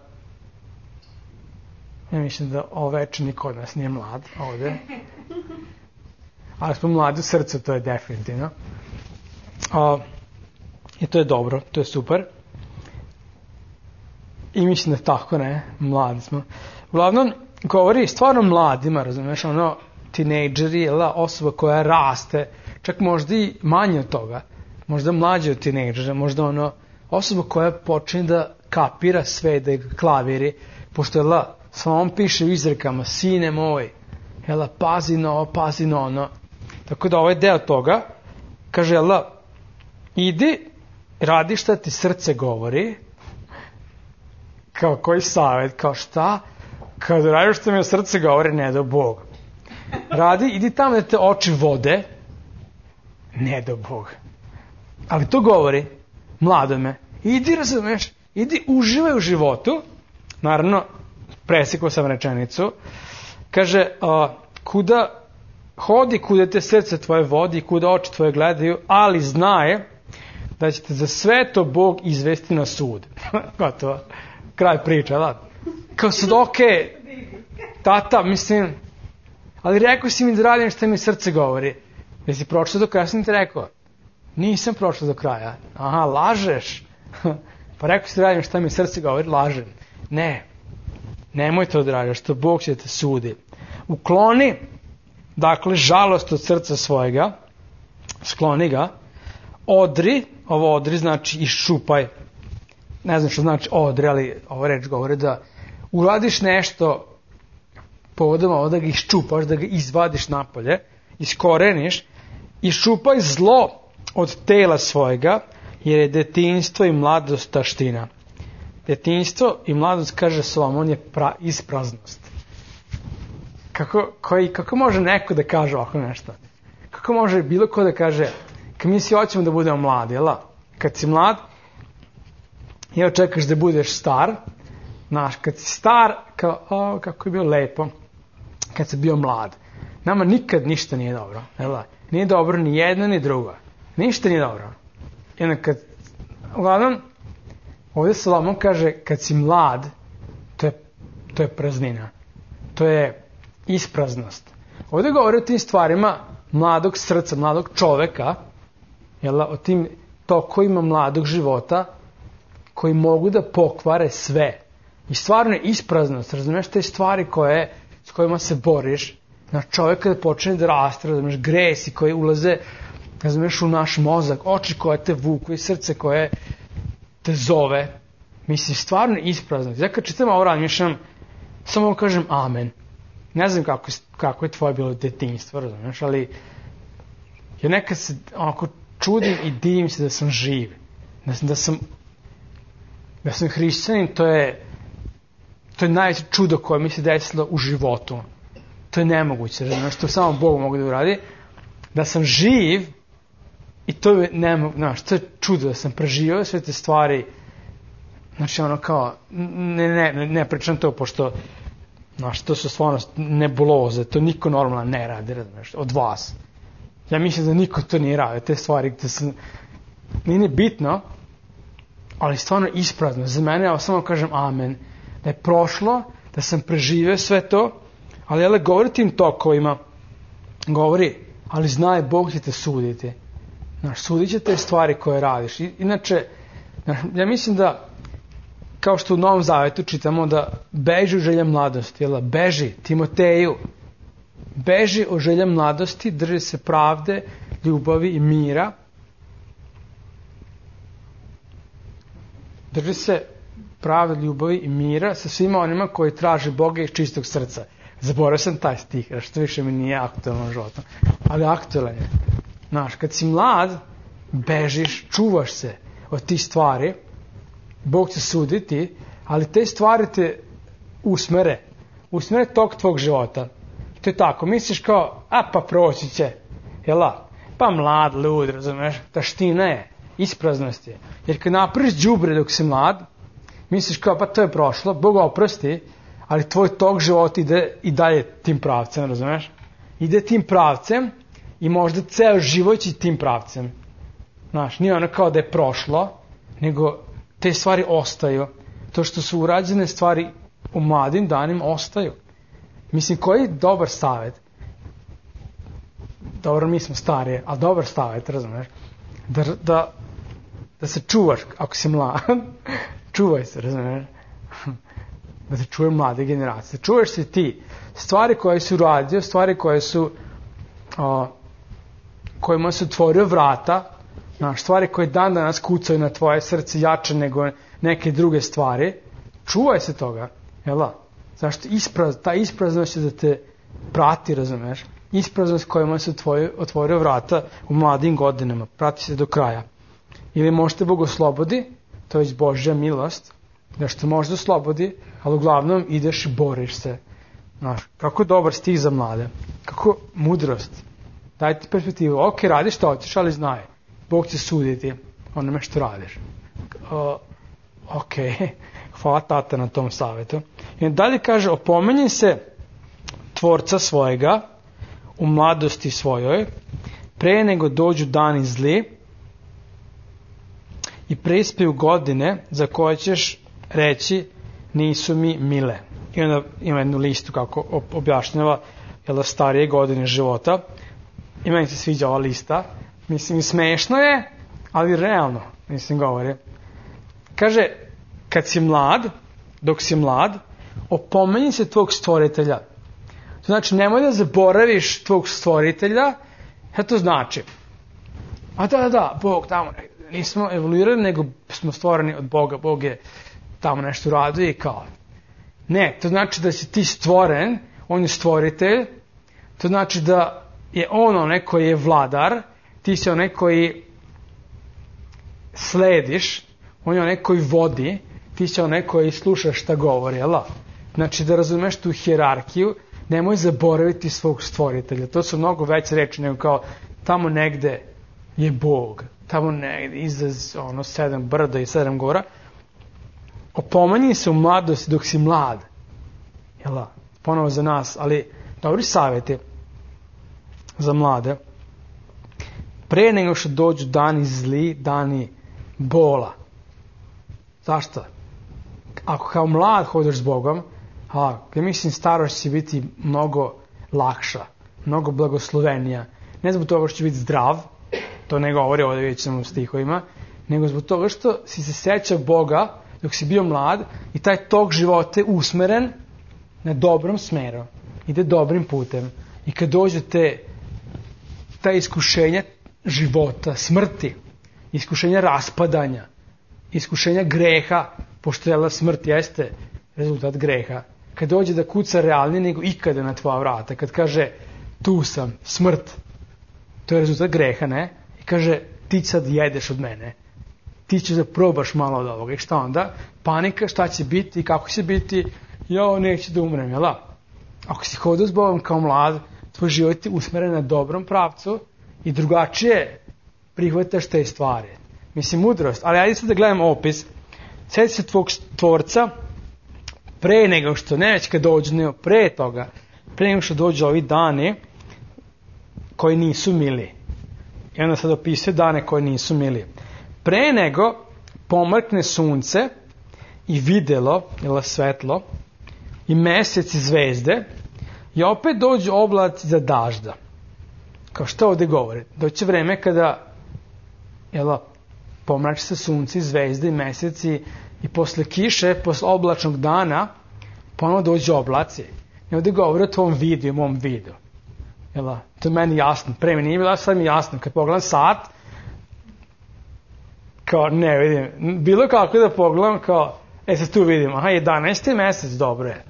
ja mislim da oveče niko od nas nije mlad ovdje, ali smo mladi u srcu, to je definitivno. A, i to je dobro, to je super. I mislim da tako, ne, mladi smo. Uglavnom, govori stvarno mladima, razumiješ, ono, tinejdžeri, osoba koja raste, čak možda i manje od toga, možda mlađe od tinejdžera, možda ono, osoba koja počne da kapira sve, da je klaviri, pošto je la, samo on piše u izrekama, sine moj, jela, pazi na ovo, pazi na ono. Tako da ovaj deo toga, kaže, jela, idi, radi šta ti srce govori, kao koji savjet, kao šta, kad radiš što mi srce govori, ne do Bog. Radi, idi tamo da te oči vode, ne do Bog. Ali to govori, mladome, idi, razumeš, idi uživaj u životu, naravno, presekao sam rečenicu, kaže, a, kuda hodi, kuda te srce tvoje vodi, kuda oči tvoje gledaju, ali znaje da će te za sve to Bog izvesti na sud. Gotovo, kraj priča, da. Kao sad, okej, tata, mislim, ali rekao si mi da radim što mi srce govori. Jesi pročito do kraja, sam ti rekao? Nisam pročito do kraja. Aha, lažeš. Pa rekao si da radim što mi srce govori, lažem. Ne, nemoj to da radiš, što Bog će te sudi. Ukloni, dakle, žalost od srca svojega, skloni ga, odri, ovo odri znači iščupaj, ne znam što znači odri, ali ova reč govori da uradiš nešto povodom ovo, da ga iščupaš, da ga izvadiš napolje, iskoreniš, iščupaj zlo od tela svojega, jer je detinjstvo i mladost taština. Detinjstvo i mladost, kaže Solomon, je pra, ispraznost. Kako, koji, kako može neko da kaže ovako nešto? Kako može bilo ko da kaže, kad mi si hoćemo da budemo mladi, jel? Kad si mlad, i očekaš da budeš star, znaš, kad si star, kao, o, kako je bilo lepo, kad si bio mlad. Nama nikad ništa nije dobro, jel? Nije dobro ni jedno ni drugo. Ništa nije dobro. Jedno kad, uglavnom, ovdje Solomon kaže, kad si mlad, to je, to je praznina. To je ispraznost. Ovdje govori o tim stvarima mladog srca, mladog čoveka, jel, o tim tokovima mladog života, koji mogu da pokvare sve. I stvarno je ispraznost, razumiješ, te stvari koje, s kojima se boriš, na čovjek kada počne da raste, razumiješ, gresi koji ulaze, razumiješ, u naš mozak, oči koje te vuku i srce koje te zove. Mislim, stvarno je ispraznost. Ja kad čitam ovo razmišljam, samo kažem amen. Ne znam kako, kako je tvoje bilo detinjstvo, razumiješ, ali ja nekad se onako čudim i divim se da sam živ. Da sam, da sam, da sam hrišćanin, to je, to je najveće čudo koje mi se desilo u životu. To je nemoguće, razumiješ, to samo Bog mogu da uradi. Da sam živ, i to je nemoguće, znaš, to je čudo da sam preživio sve te stvari. Znači, ono kao, ne, ne, ne, ne pričam to, pošto, znaš, to su stvarno nebuloze, to niko normalno ne radi, razumiješ, od vas. Ja mislim da niko to nije radi, te stvari gde sam, nije bitno, ali stvarno isprazno. Za mene, ja samo kažem amen, da je prošlo, da sam preživio sve to, ali jel, govori tim tokovima, govori, ali znaj, Bog će te suditi. Znaš, sudit će te stvari koje radiš. I, inače, ja mislim da, kao što u Novom Zavetu čitamo da beži u želja mladosti, jel, beži, Timoteju, beži o želja mladosti, drži se pravde, ljubavi i mira. Drži se pravde, ljubavi i mira sa svima onima koji traže Boga iz čistog srca. Zaboravio sam taj stih, što više mi nije aktualno životno, ali aktualan je. Znaš, kad si mlad, bežiš, čuvaš se od tih stvari, Bog će suditi, ali te stvari te usmere, usmere tok tvog života. To je tako, misliš kao, a pa proći će, jela, pa mlad, lud, razumeš, taština je, ispraznost je. Jer kad napraviš đubre dok si mlad, misliš kao, pa to je prošlo, Bog oprosti, ali tvoj tok života ide i dalje tim pravcem, razumeš? Ide tim pravcem i možda ceo život će tim pravcem. Znaš, nije ono kao da je prošlo, nego te stvari ostaju. To što su urađene stvari u mladim danima ostaju. Mislim, koji je dobar savjet? Dobro, mi smo starije, ali dobar savjet, razumeš? Da, da, da se čuvaš, ako si mlad, čuvaj se, razumeš? Da se čuje mlade generacije. Čuješ se ti. Stvari koje su uradio, stvari koje su o, kojima su otvorio vrata, znaš, stvari koje dan danas kucaju na tvoje srce jače nego neke druge stvari, čuvaj se toga, jel da? Zašto? Ispraz, ta ispraznost će da te prati, razumeš? Ispraznost kojima se otvorio, otvorio vrata u mladim godinama, prati se do kraja. Ili možete Bog oslobodi, to je Božja milost, da što možda oslobodi, ali uglavnom ideš i boriš se. Znaš, kako dobar stih za mlade, kako mudrost. Dajte perspektivu, ok, radiš što hoćeš, ali znaj, Bog će suditi onome što radiš. Uh, ok, hvala tata na tom savjetu. I dalje kaže, opomeni se tvorca svojega u mladosti svojoj, pre nego dođu dani zli i prispiju godine za koje ćeš reći nisu mi mile. I onda ima jednu listu kako objašnjava jel, starije godine života. I meni se sviđa ova lista. Mislim, smešno je, ali realno, mislim, govori. Kaže, kad si mlad, dok si mlad, opomeni se tvog stvoritelja. To znači, nemoj da zaboraviš tvog stvoritelja, šta to znači? A da, da, da, Bog tamo, nismo evoluirali, nego smo stvoreni od Boga, Bog je tamo nešto radio i kao. Ne, to znači da si ti stvoren, on je stvoritelj, to znači da je on onaj koji je vladar, ti si onaj koji slediš, on je onaj koji vodi, ti si onaj koji slušaš šta govori, jel? Znači da razumeš tu hijerarhiju, nemoj zaboraviti svog stvoritelja. To su mnogo veće reči nego kao tamo negde je Bog, tamo negde iza ono sedam brda i sedam gora. Opomanji se u mladosti dok si mlad. Jel? Ponovo za nas, ali dobri savjeti za mlade. Pre nego što dođu dani zli, dani bola. Zašto? Ako kao mlad hodeš s Bogom, a, ja mislim starost će biti mnogo lakša, mnogo blagoslovenija. Ne zbog toga što će biti zdrav, to ne govori ovdje vidjet ćemo u stihovima, nego zbog toga što si se sećao Boga dok si bio mlad i taj tok života je usmeren na dobrom smeru. Ide dobrim putem. I kad dođe te ta iskušenja života, smrti, iskušenja raspadanja, iskušenja greha, pošto je smrt jeste rezultat greha. Kad dođe da kuca realnije nego ikada na tvoja vrata, kad kaže tu sam, smrt, to je rezultat greha, ne? I kaže ti sad jedeš od mene, ti ćeš da probaš malo od ovoga. I šta onda? Panika, šta će biti i kako će biti, jo, neću da umrem, jel da? Ako si hodao s Bogom kao mlad, tvoj život je usmeren na dobrom pravcu i drugačije prihvataš te stvari. Mislim, mudrost. Ali ajde sad da gledam opis. Sjeti se tvog tvorca pre nego što, ne već kad dođu, nego pre toga, pre nego što dođu ovi dani koji nisu mili. I onda sad opisuje dane koji nisu mili. Pre nego pomrkne sunce i videlo, ili svetlo, i mesec i zvezde, i opet dođu oblaci za dažda. Kao što ovdje govori? Doće vreme kada jel, pomrači se sunce i zvezde i meseci i posle kiše, posle oblačnog dana, ponovno dođu oblaci. I ovdje govori o tvom vidu i mom vidu. Jel, to je meni jasno. Pre mi nije bilo, sad mi jasno. Kad pogledam sat, kao ne vidim. Bilo kako da pogledam, kao, e sad tu vidim, aha, jedanaesti mesec, dobro je.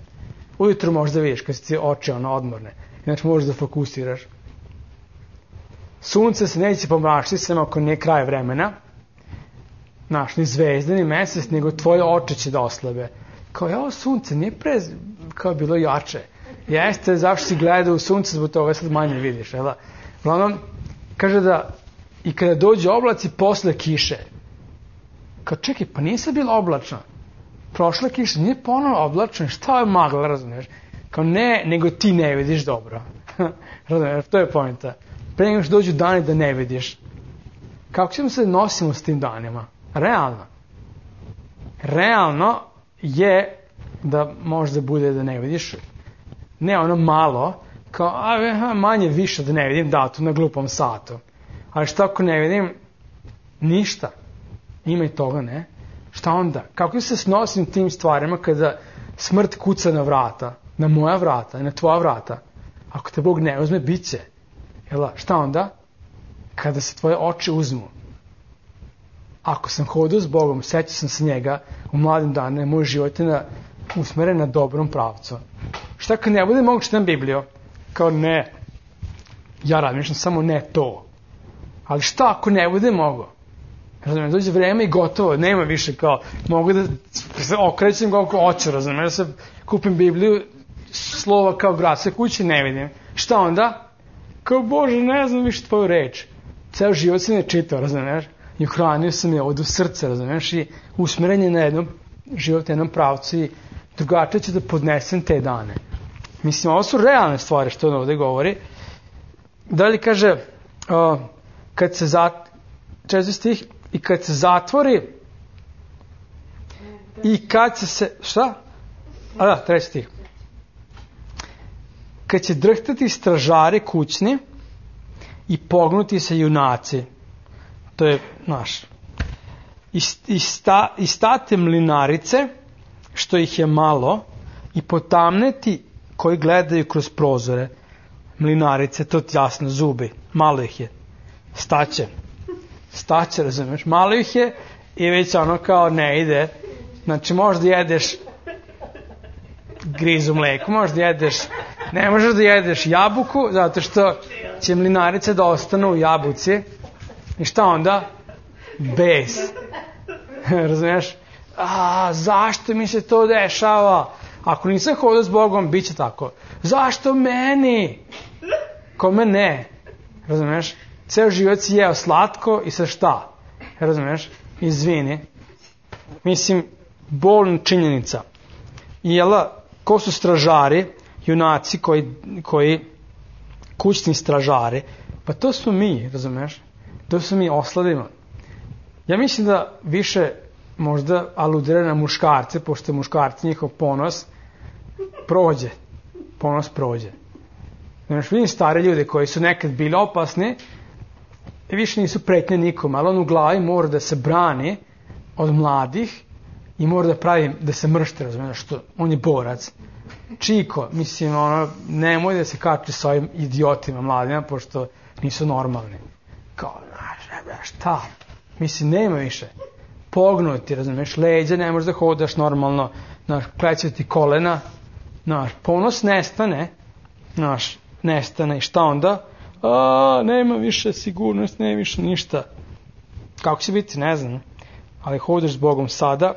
Ujutro možda vidiš kad si oči ono odmorne. Znači možeš da fokusiraš. Sunce se neće pomračiti samo ako nije kraj vremena. Znaš, ni zvezde, ni mesec, nego tvoje oči će da oslabe. Kao, evo sunce, nije pre kao bilo jače. Jeste, zašto si gledao u sunce, zbog toga sad manje vidiš. Jel? Uglavnom, kaže da i kada dođe oblaci posle kiše. Kao, čekaj, pa nije sad bilo oblačno. Prošla kiša, nije ponovno oblačno, šta je magla, razumiješ? Kao ne, nego ti ne vidiš dobro. Razumiješ, to je pointa. Pre nego što dođu dani da ne vidiš. Kako ćemo se nosimo s tim danima? Realno. Realno je da možda bude da ne vidiš. Ne ono malo, kao a, manje više da ne vidim datu na glupom satu. Ali šta ako ne vidim? Ništa. Ima i toga, ne? Šta onda? Kako se snosim tim stvarima kada smrt kuca na vrata? Na moja vrata i na tvoja vrata? Ako te Bog ne uzme, bit će. Jel, šta onda? Kada se tvoje oči uzmu. Ako sam hodao s Bogom, sećao sam se njega u mladim danima, moj život je na, usmeren na dobrom pravcu. Šta kad ne bude mogu čitam Bibliju? Kao ne. Ja razmišljam samo ne to. Ali šta ako ne bude mogo? Razumijem, dođe vreme i gotovo, nema više kao, mogu da se okrećem koliko hoću, razumijem, da se kupim Bibliju, slova kao grad, sve kući ne vidim. Šta onda? Kao, Bože, ne znam više tvoju reč. Ceo život se ne čitao, razumiješ? i uhranio sam je od u srce, razumiješ, i usmeren je na jednom život, jednom pravcu i drugačije ću da podnesem te dane. Mislim, ovo su realne stvari što on ovde govori. Dalje kaže, uh, kad se zat... četvrti stih, i kad se zatvori i kad se se, šta? A da, treći stih. Kad će drhtati stražari kućni i pognuti se junaci. To je naš. I, i, sta, i state mlinarice, što ih je malo, i potamneti koji gledaju kroz prozore. Mlinarice, to ti jasno, zubi. Malo ih je. Staće. Staće, razumiješ? Malo ih je i već ono kao ne ide. Znači možda jedeš grizu mleku, možda jedeš, ne možeš da jedeš jabuku, zato što će mlinarice da ostanu u jabuci. I šta onda? Bes. Razumiješ? A, zašto mi se to dešava? Ako nisam hodao s Bogom, bit će tako. Zašto meni? Kome ne? Razumiješ? Ceo život si jeo slatko i sa šta? Razumiješ? Izvini. Mislim, bolna činjenica. I jela, ko su stražari, junaci koji, koji kućni stražari, pa to smo mi, razumiješ? To smo mi osladimo. Ja mislim da više možda aludira na muškarce, pošto je muškarci njihov ponos prođe. Ponos prođe. Znaš, vidim stare ljude koji su nekad bili opasni i više nisu pretnje nikom, ali on u glavi mora da se brani od mladih i mora da pravi, da se mršte, razumiješ, što on je borac. Čiko, mislim, ono, nemoj da se kači s ovim idiotima mladima, pošto nisu normalni. Kao, znaš, šta? Mislim, nema više. Pognuti, razumiješ, leđa, ne možeš da hodaš normalno, znaš, kleće ti kolena, znaš, ponos nestane, znaš, nestane i šta onda? A, nema više sigurnost, nema više ništa. Kako će biti, ne znam, ali hodaš s Bogom sada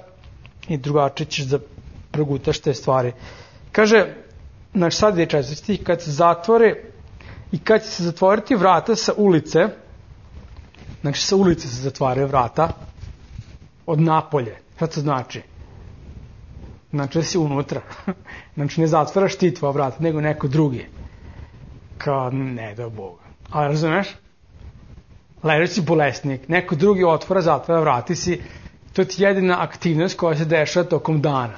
i drugačije ćeš da progutaš te stvari. Kaže, znači sad je četvrti stih, kad se zatvore i kad će se zatvoriti vrata sa ulice, znači sa ulice se zatvaraju vrata od napolje. Šta to znači? Znači da si unutra. Znači ne zatvaraš ti tvoja vrata, nego neko drugi. Kao, ne da Boga. Ali razumeš? Ležeć si bolesnik, neko drugi otvora, zatvara, vrati si. To ti je jedina aktivnost koja se dešava tokom dana.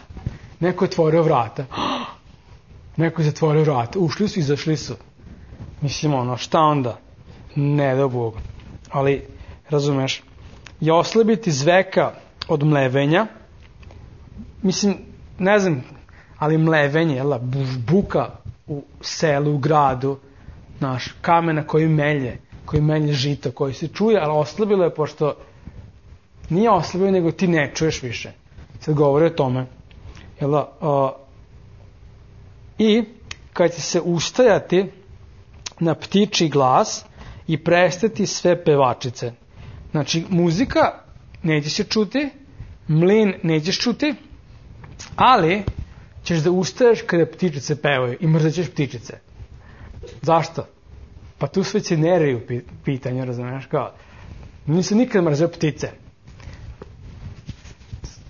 Neko je otvorio vrata. Neko je zatvorio vrata. Ušli su, izašli su. Mislim, ono, šta onda? Ne da Boga. Ali, razumeš, je oslabiti zveka od mlevenja. Mislim, ne znam, ali mlevenje, jel, buka u selu, u gradu, naš, kamena koji melje, koji melje žito, koji se čuje, ali oslabilo je, pošto nije oslabilo, nego ti ne čuješ više. Sad govori o tome. Jel, uh, I kad će se ustajati na ptičji glas i prestati sve pevačice. Znači, muzika neće se čuti, mlin nećeš čuti, ali ćeš da ustaješ kada ptičice pevaju i mrzaćeš ptičice. Zašto? Pa tu sve će nerviju pitanje, razumiješ, kao, nisam nikad mrzeo ptice.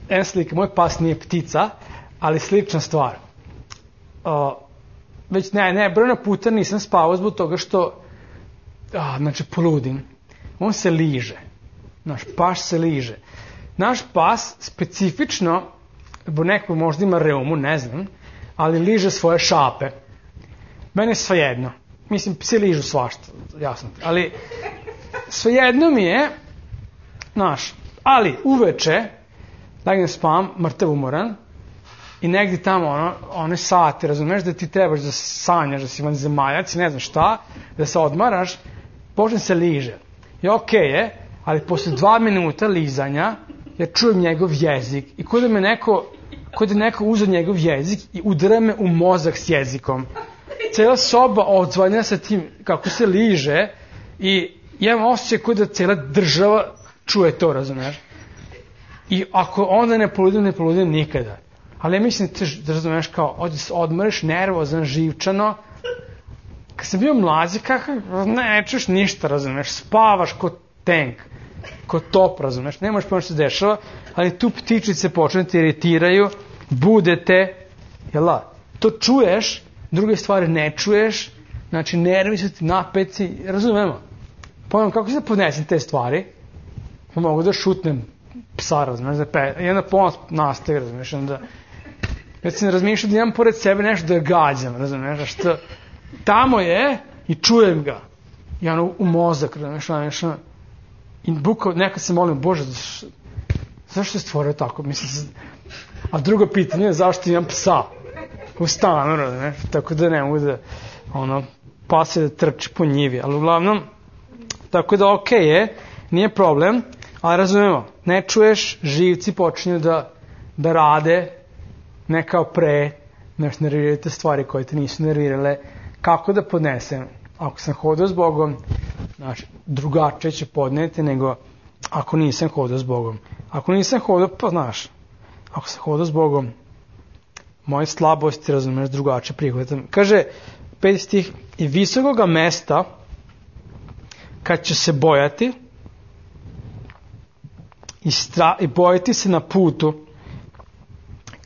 Jedna slika, moj pas nije ptica, ali slična stvar. Uh, već ne, ne, brojna puta nisam spavao zbog toga što, a, znači, poludim. On se liže. Naš pas se liže. Naš pas specifično, bo neko možda ima reumu, ne znam, ali liže svoje šape. Mene je svejedno. Mislim, psi ližu svašta, jasno. Ali svejedno mi je, znaš, ali uveče, legnem spavam, mrtav umoran, i negdje tamo ono, one sate, razumeš, da ti trebaš da sanjaš, da si vanzemaljac i ne znam šta, da se odmaraš, počne se liže. I okej okay je, ali posle dva minuta lizanja, ja čujem njegov jezik i kod da me neko, kod da neko uzeo njegov jezik i udara me u mozak s jezikom. Cela soba odzvanja sa tim kako se liže i ja imam osjećaj kod da cela država čuje to, razumeš. I ako onda ne poludim, ne poludim nikada. Ali ja mislim da razumeš kao, ovdje se odmoriš nervozan, živčano. Kad sam bio mlađi, kako, ne čuješ ništa, razumeš, spavaš ko tank, ko top, razumeš, ne možeš pomoći se dešava, ali tu ptičice počne te iritiraju, budete, jela, to čuješ, druge stvari ne čuješ, znači nervi su ti napeci, razumemo. Pojmem, kako se da podnesem te stvari, pa mogu da šutnem psa, razumeš, da pe, i onda pomoć nastaje, razumeš, onda, već sam razmišljao da imam pored sebe nešto da gađam, razumeš, što tamo je i čujem ga, i ono u mozak, razumeš, razumeš, i bukao, nekad se molim, Bože, zašto, zašto je stvorio tako, mislim, a drugo pitanje je zašto imam psa u stanu, razumeš, tako da ne mogu da, ono, pas je da trči po njivi, ali uglavnom, tako da okej okay je, nije problem, ali razumemo, ne čuješ, živci počinju da, da rade, ne kao pre, nešto nervirate stvari koje te nisu nervirale, kako da podnesem, ako sam hodao s Bogom, znači, drugačije će podneti nego ako nisam hodao s Bogom. Ako nisam hodao, pa znaš, ako sam hodao s Bogom, moje slabosti, razumeš, drugačije prihvatam. Kaže, peti stih, i visokoga mesta, kad će se bojati, i, stra, i bojati se na putu,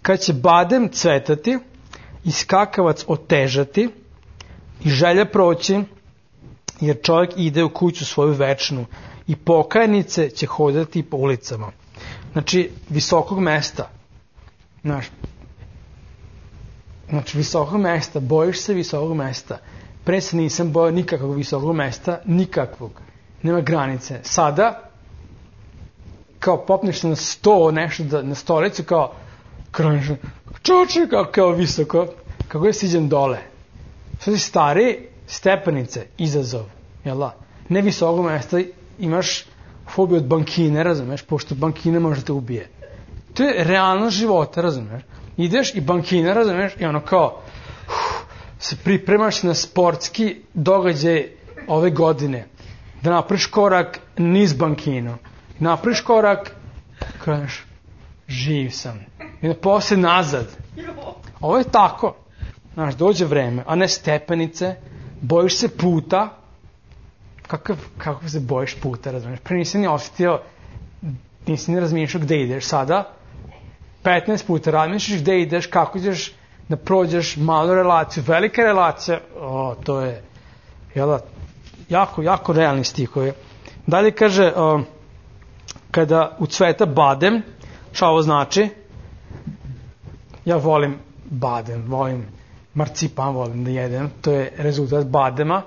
kad će badem cvetati, i skakavac otežati, i želja proći, jer čovjek ide u kuću svoju večnu, i pokajnice će hodati po ulicama. Znači, visokog mesta. Znaš, znači, visokog mesta, bojiš se visokog mesta. Pre se nisam bojao nikakvog visokog mesta, nikakvog. Nema granice. Sada, kao popneš na sto, nešto da, na stolicu, kao, kroniš, čoče, kao, kao visoko, kako je siđem dole. Sad si stari, stepenice, izazov, jel da? Ne visokog mesta, imaš fobiju od bankine, razumeš, pošto bankine može da te ubije. To je realnost života, razumeš. Ideš i bankina, razumeš, i ono kao, uf, se pripremaš na sportski događaj ove godine, da napraviš korak niz bankinu, napraviš korak, kažeš, živ sam, i da posle nazad. Ovo je tako, znaš, dođe vreme, a ne stepenice, bojiš se puta, kakav, kako se bojiš puta, razumiješ, pre nisi ni osjetio, nisi ni razmišljao gde ideš, sada, petnaest puta razmišljaš gde ideš, kako ideš da prođeš malu relaciju, velika relacija, o, to je, jel, jako, jako realni stihovi. Dalje kaže, o, kada u cveta badem, šta ovo znači? Ja volim badem, volim marcipan, volim da jedem, to je rezultat badema,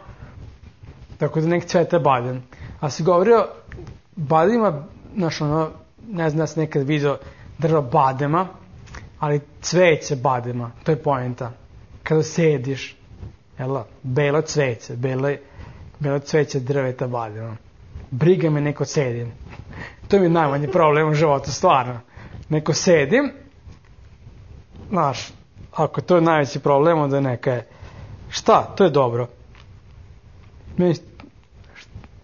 tako da nek cveta badem. A si govorio, badema, znaš ono, ne znam da si nekad vidio drva badema, ali cveće badema, to je poenta. Kada sediš, jel, belo cveće, belo, belo cveće drveta badema. Briga me neko sedim. To mi je najmanji problem u životu, stvarno. Neko sedim, znaš, ako to je najveći problem, onda neka je, šta, to je dobro.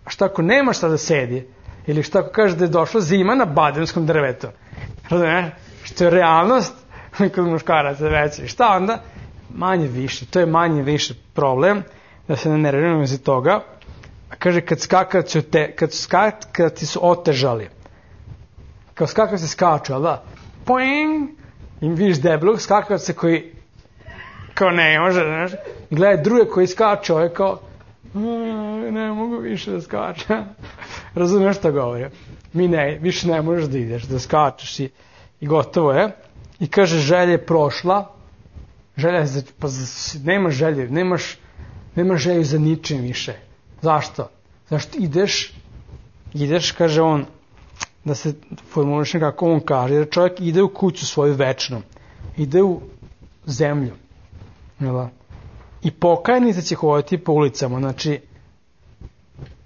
Šta ako nema šta da sedi, ili šta ako kaže da je došla zima na bademskom drvetu, razumiješ, što je realnost kod muškaraca veća, šta onda? Manje više, to je manje više problem, da se ne nerviramo za toga. Kaže, kad skakavci te, kad skakavci su otežali, kao skakavci skaču, ali da, poing, i vidiš debelog skakavca koji kao ne može, znaš, i gledaj druge koji skaču, ovo je kao, ne mogu više da skačem. Razumiješ šta govori? Mi ne, više ne možeš da ideš, da skačeš i, i gotovo je. I kaže, želja je prošla, želja je, za, pa za, nemaš želje, nemaš, nemaš želju za ničim više. Zašto? Zašto ideš, ideš, kaže on, da se formuliš kako on kaže, jer čovjek ide u kuću svoju večnu, ide u zemlju, jel? I pokajnica će hoditi po ulicama, znači,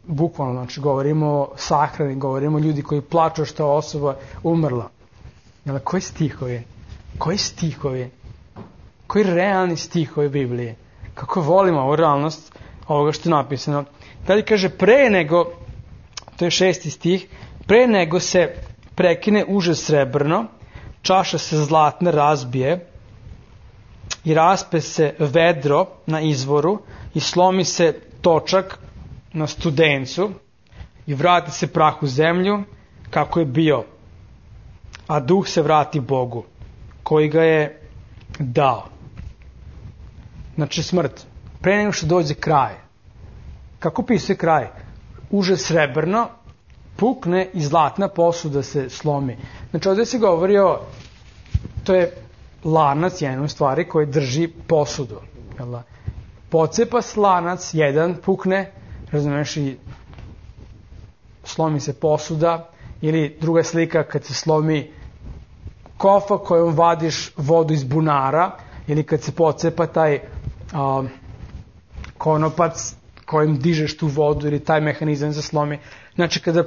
bukvalno, znači, govorimo o sahrani, govorimo o ljudi koji plaču što je osoba umrla. Jel, koji stihovi? Koji stihovi? Koji realni stihovi Biblije? Kako volimo ovu realnost ovoga što je napisano. Dalje kaže, pre nego, to je šesti stih, pre nego se prekine uže srebrno, čaša se zlatna razbije i raspe se vedro na izvoru i slomi se točak na studencu i vrati se prah u zemlju kako je bio, a duh se vrati Bogu, koji ga je dao. Znači smrt. Pre nego što dođe kraj. Kako pisuje kraj? Uže srebrno pukne i zlatna posuda se slomi. Znači ovdje se govori o, to je lanac jedan stvari koji drži posudu. Pocepa se lanac, jedan pukne, razumeš, i slomi se posuda, ili druga slika kad se slomi kofa kojom vadiš vodu iz bunara, ili kad se pocepa taj a, konopac kojim dižeš tu vodu, ili taj mehanizam se slomi. Znači kada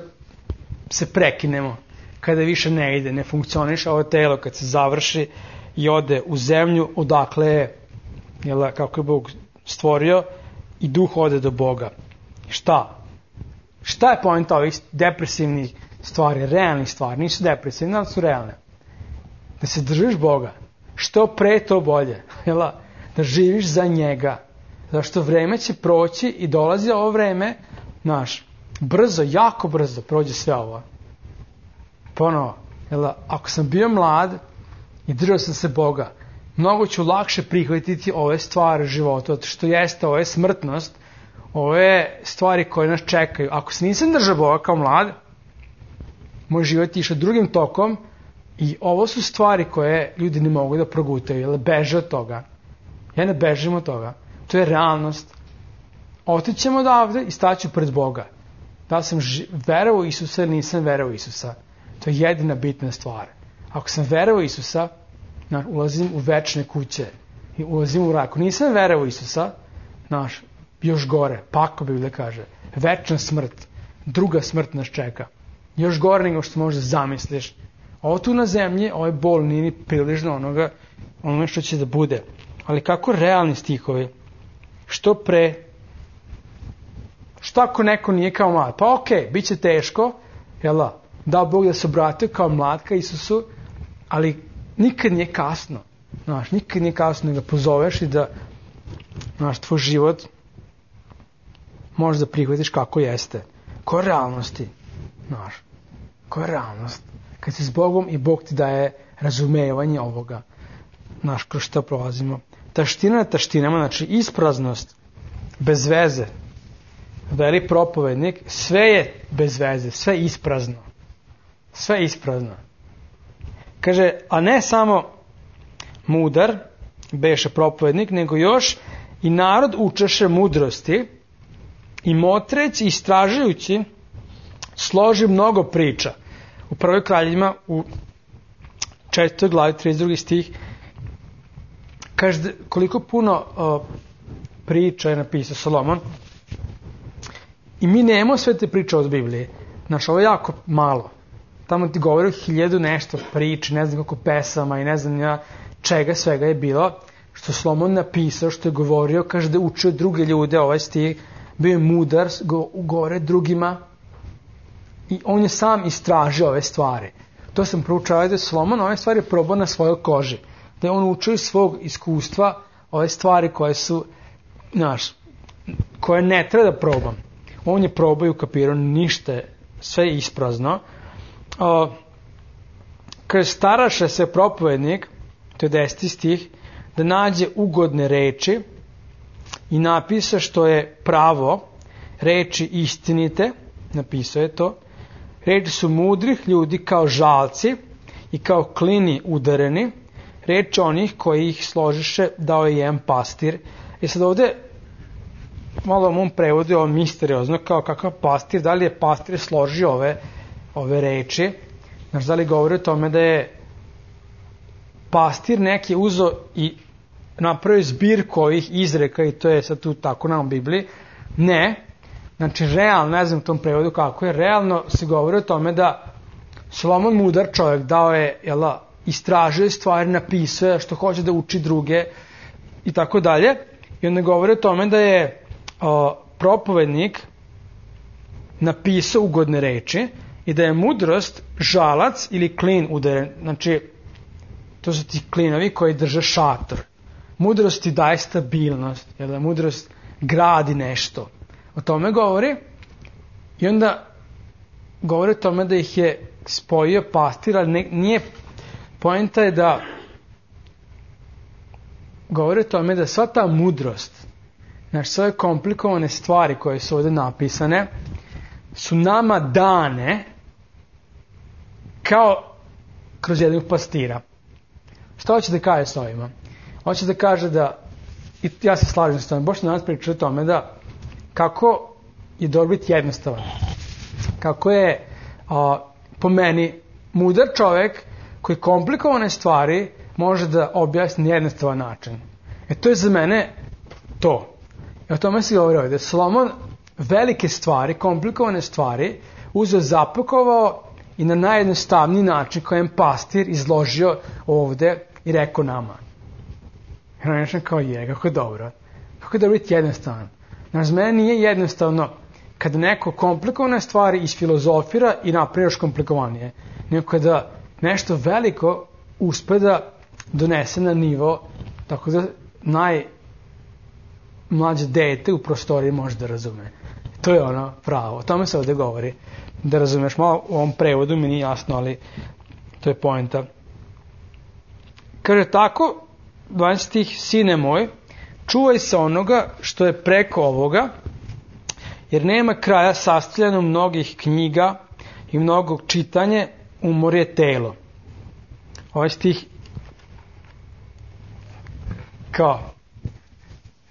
se prekinemo, kada više ne ide, ne funkcioniše ovo telo, kad se završi i ode u zemlju, odakle je, jel, kako je Bog stvorio, i duh ode do Boga. Šta? Šta je poenta ovih depresivnih stvari, realnih stvari? Nisu depresivne, ali su realne. Da se držiš Boga. Što pre to bolje. Jel? Da živiš za njega. Zašto vreme će proći i dolazi ovo vreme, znaš, brzo, jako brzo prođe sve ovo. Ponovo, jel, ako sam bio mlad i držao sam se Boga, mnogo ću lakše prihvatiti ove stvari života, što jeste, ovo je smrtnost, ove stvari koje nas čekaju. Ako se nisam držao Boga kao mlad, moj život je išao drugim tokom i ovo su stvari koje ljudi ne mogu da progutaju, jer beže od toga. Ja ne bežim od toga. To je realnost. Otićemo odavde i staću pred Boga. Da sam verovao u Isusa ili nisam verovao u Isusa. To je jedina bitna stvar. Ako sam verovao u Isusa, ulazim u večne kuće i ulazim u raj. Ako nisam verovao u Isusa, znaš, još gore, pakao Biblija kaže, večna smrt, druga smrt nas čeka. Još gore nego što možda zamisliš. Ovo tu na zemlji, ovaj bol nije ni prilično onoga, ono što će da bude. Ali kako realni stihovi? Što pre? Što ako neko nije kao mlad? Pa okej, okay, bit će teško, jel' dao Bog da se obratio kao mlad ka Isusu, ali nikad nije kasno. Znaš, nikad nije kasno da ga pozoveš i da, znaš, tvoj život možeš da prihvatiš kako jeste. Koja je realnosti? Znaš, koja je realnost? Kad si s Bogom i Bog ti daje razumevanje ovoga. Znaš, kroz šta prolazimo. Taština na taštinama, znači ispraznost, bez veze. Veli propovednik, sve je bez veze, sve isprazno. Sve isprazno. Kaže, a ne samo mudar, beše propovednik, nego još i narod učeše mudrosti i motreć i istražujući složi mnogo priča. U prvoj kraljevima, u četvrtoj glavi, trideset drugi stih, kaže koliko puno uh, priča je napisao Solomon i mi nemamo sve te priče od Biblije. Znaš, ovo je jako malo. Tamo ti govori o hiljadu nešto priče, ne znam koliko pesama i ne znam ja čega svega je bilo, što Solomon napisao, što je govorio, kaže da je učio druge ljude, ovaj stih, bio je mudar, go, govore drugima i on je sam istražio ove stvari. To sam proučavao da je Solomon ove stvari probao na svojoj koži. Da je on učio iz svog iskustva ove stvari koje su, znaš, koje ne treba da probam. On je probao i ukapirao, ništa, sve je isprazno. Uh, kaže, staraše se propovednik, to je deseti stih, da nađe ugodne reči i napisa što je pravo, reči istinite, napisao je to, reči su mudrih ljudi kao žalci i kao klini udareni, reči onih koji ih složiše dao je jedan pastir. I sad ovde malo u mom prevodu je ovo misteriozno, kao kakav pastir, da li je pastir složio ove, ove reči, znaš, da li govori o tome da je pastir neki uzo i napravio zbirku ovih izreka i to je sad tu tako na Bibliji. Ne, znači realno, ne znam u tom prevodu kako je, realno se govori o tome da Solomon mudar čovjek dao je, jela, istražuje stvari, napisuje što hoće da uči druge i tako dalje. I onda govori o tome da je o, propovednik napisao ugodne reči i da je mudrost žalac ili klin udaren. Znači, to su ti klinovi koji drže šator. Mudrost ti daje stabilnost, jer da mudrost gradi nešto. O tome govori i onda govori o tome da ih je spojio pastir, ali ne, nije, poenta je da govori o tome da sva ta mudrost, znači sve komplikovane stvari koje su ovdje napisane, su nama dane kao kroz jednog pastira. Šta hoće da kaže s ovima? Hoće da kaže da, i ja se slažem s tome, Bož nas priča o tome da kako je dobro biti jednostavan. Kako je a, po meni mudar čovjek koji komplikovane stvari može da objasni na jednostavan način. E to je za mene to. I o tome se govori ovdje. Solomon velike stvari, komplikovane stvari uzeo, zapakovao i na najjednostavniji način kojem pastir izložio ovdje i rekao nama. I on je kao je, kako je dobro. Kako je dobro biti jednostavan. Znači, za mene nije jednostavno kada neko komplikovane stvari isfilozofira i napravi još komplikovanije. Nego kada nešto veliko uspe da donese na nivo tako da najmlađe dete u prostoriji može da razume. To je ono pravo. O tome se ovdje govori. Da razumeš, malo u ovom prevodu mi nije jasno, ali to je poenta. Kaže tako, dvanaesti stih, sine moj, čuvaj se onoga što je preko ovoga, jer nema kraja sastavljeno mnogih knjiga i mnogog čitanje, umor je telo. Ovaj stih kao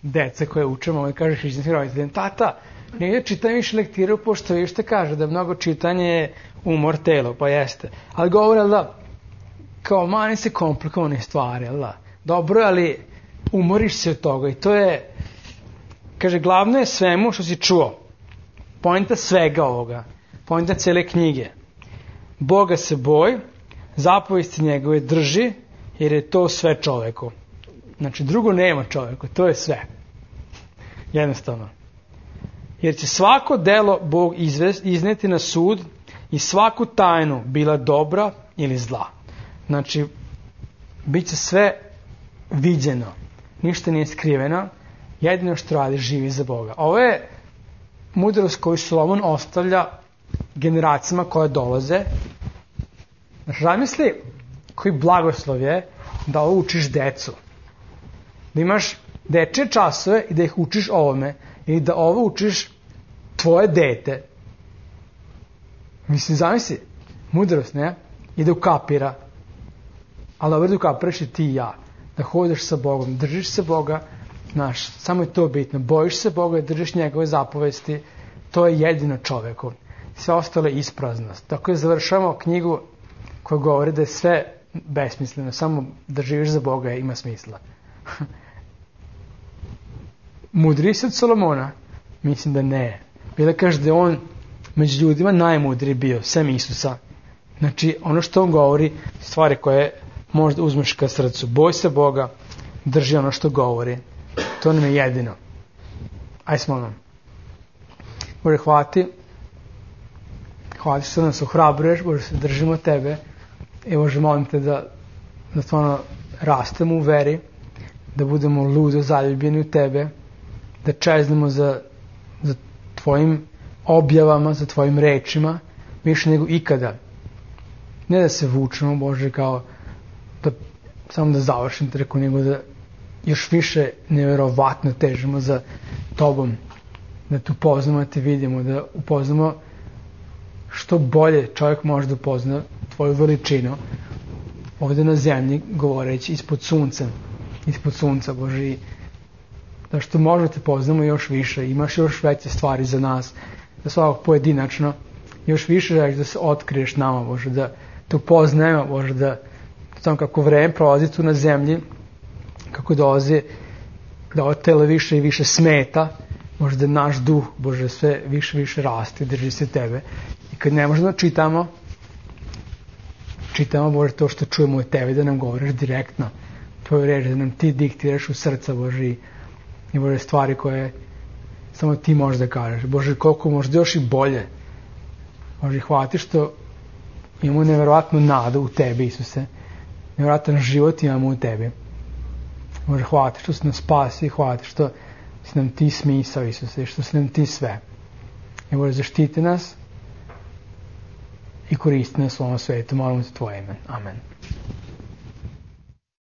deca koje učemo, ovaj kaže hrišćanskim roditeljima, tata, nije čitam više lektiru, pošto vi što kaže da mnogo čitanje je umor telo, pa jeste. Ali govore da kao mani se komplikovane stvari, da. Dobro, ali umoriš se od toga i to je, kaže, glavno je svemu što si čuo. Poenta svega ovoga, poenta cele knjige. Boga se boj, zapovesti njegove drži, jer je to sve čoveku. Znači, drugo nema čoveku, to je sve. Jednostavno. Jer će svako delo Bog izvest, izneti na sud i svaku tajnu, bila dobra ili zla. Znači, bit će sve viđeno. Ništa nije skriveno. Jedino što radi, živi za Boga. Ovo je mudrost koju Solomon ostavlja generacijama koje dolaze. Znači, zamisli koji blagoslov je da ovo učiš decu. Da imaš dečje časove i da ih učiš ovome. I da ovo učiš tvoje dete. Mislim, zamisli, mudrost, ne? I da ukapira. Ali dobro da ukapiraš i ti i ja. Da hodeš sa Bogom, držiš se Boga, znaš, samo je to bitno. Bojiš se Boga i držiš njegove zapovesti. To je jedino čoveku. Sve ostalo je ispraznost. Tako je završavamo knjigu koja govori da je sve besmisleno. Samo da živiš za Boga ima smisla. Mudriji se od Solomona? Mislim da ne. Bila kaže da je on među ljudima najmudriji bio, sem Isusa. Znači, ono što on govori, stvari koje možda uzmeš ka srcu. Boj se Boga, drži ono što govori. To nam je jedino. Aj smo nam. Bože, hvati. Hvati što nas ohrabruješ, Bože, se držimo tebe. I Bože, molim te da, da stvarno rastemo u veri, da budemo ludo zaljubljeni u tebe, da čeznemo za, za tvojim objavama, za tvojim rečima, više nego ikada. Ne da se vučemo, Bože, kao da, samo da završim treku, nego da još više nevjerovatno težimo za tobom, da te upoznamo, da te vidimo, da upoznamo što bolje čovjek može da upozna tvoju veličinu ovdje na zemlji, govoreći ispod sunca, ispod sunca, Bože, i da što možemo te poznamo još više, imaš još veće stvari za nas, da svakog pojedinačno još više želiš da se otkriješ nama, Bože, da te upoznajemo, Bože, da samo kako vreme prolazi tu na zemlji, kako dolazi, da ovo telo više i više smeta, Bože, da naš duh, Bože, sve više i više raste, drži se tebe. I kad ne možemo da čitamo, čitamo, Bože, to što čujemo od tebe, da nam govoriš direktno tvoju reč, da nam ti diktiraš u srca, Bože, i, i Bože, stvari koje samo ti možeš da kažeš. Bože, koliko možda još i bolje. Bože, hvati što imamo nevjerovatnu nadu u tebi, Isuse. Nevjerojatan život imamo u tebi. Bože, hvati što si nas spasi, hvati što si nam ti smisao, Isuse, što si nam ti sve. I Bože, zaštiti nas i koristi nas u ovom svetu. Molimo te tvoje ime. Amen.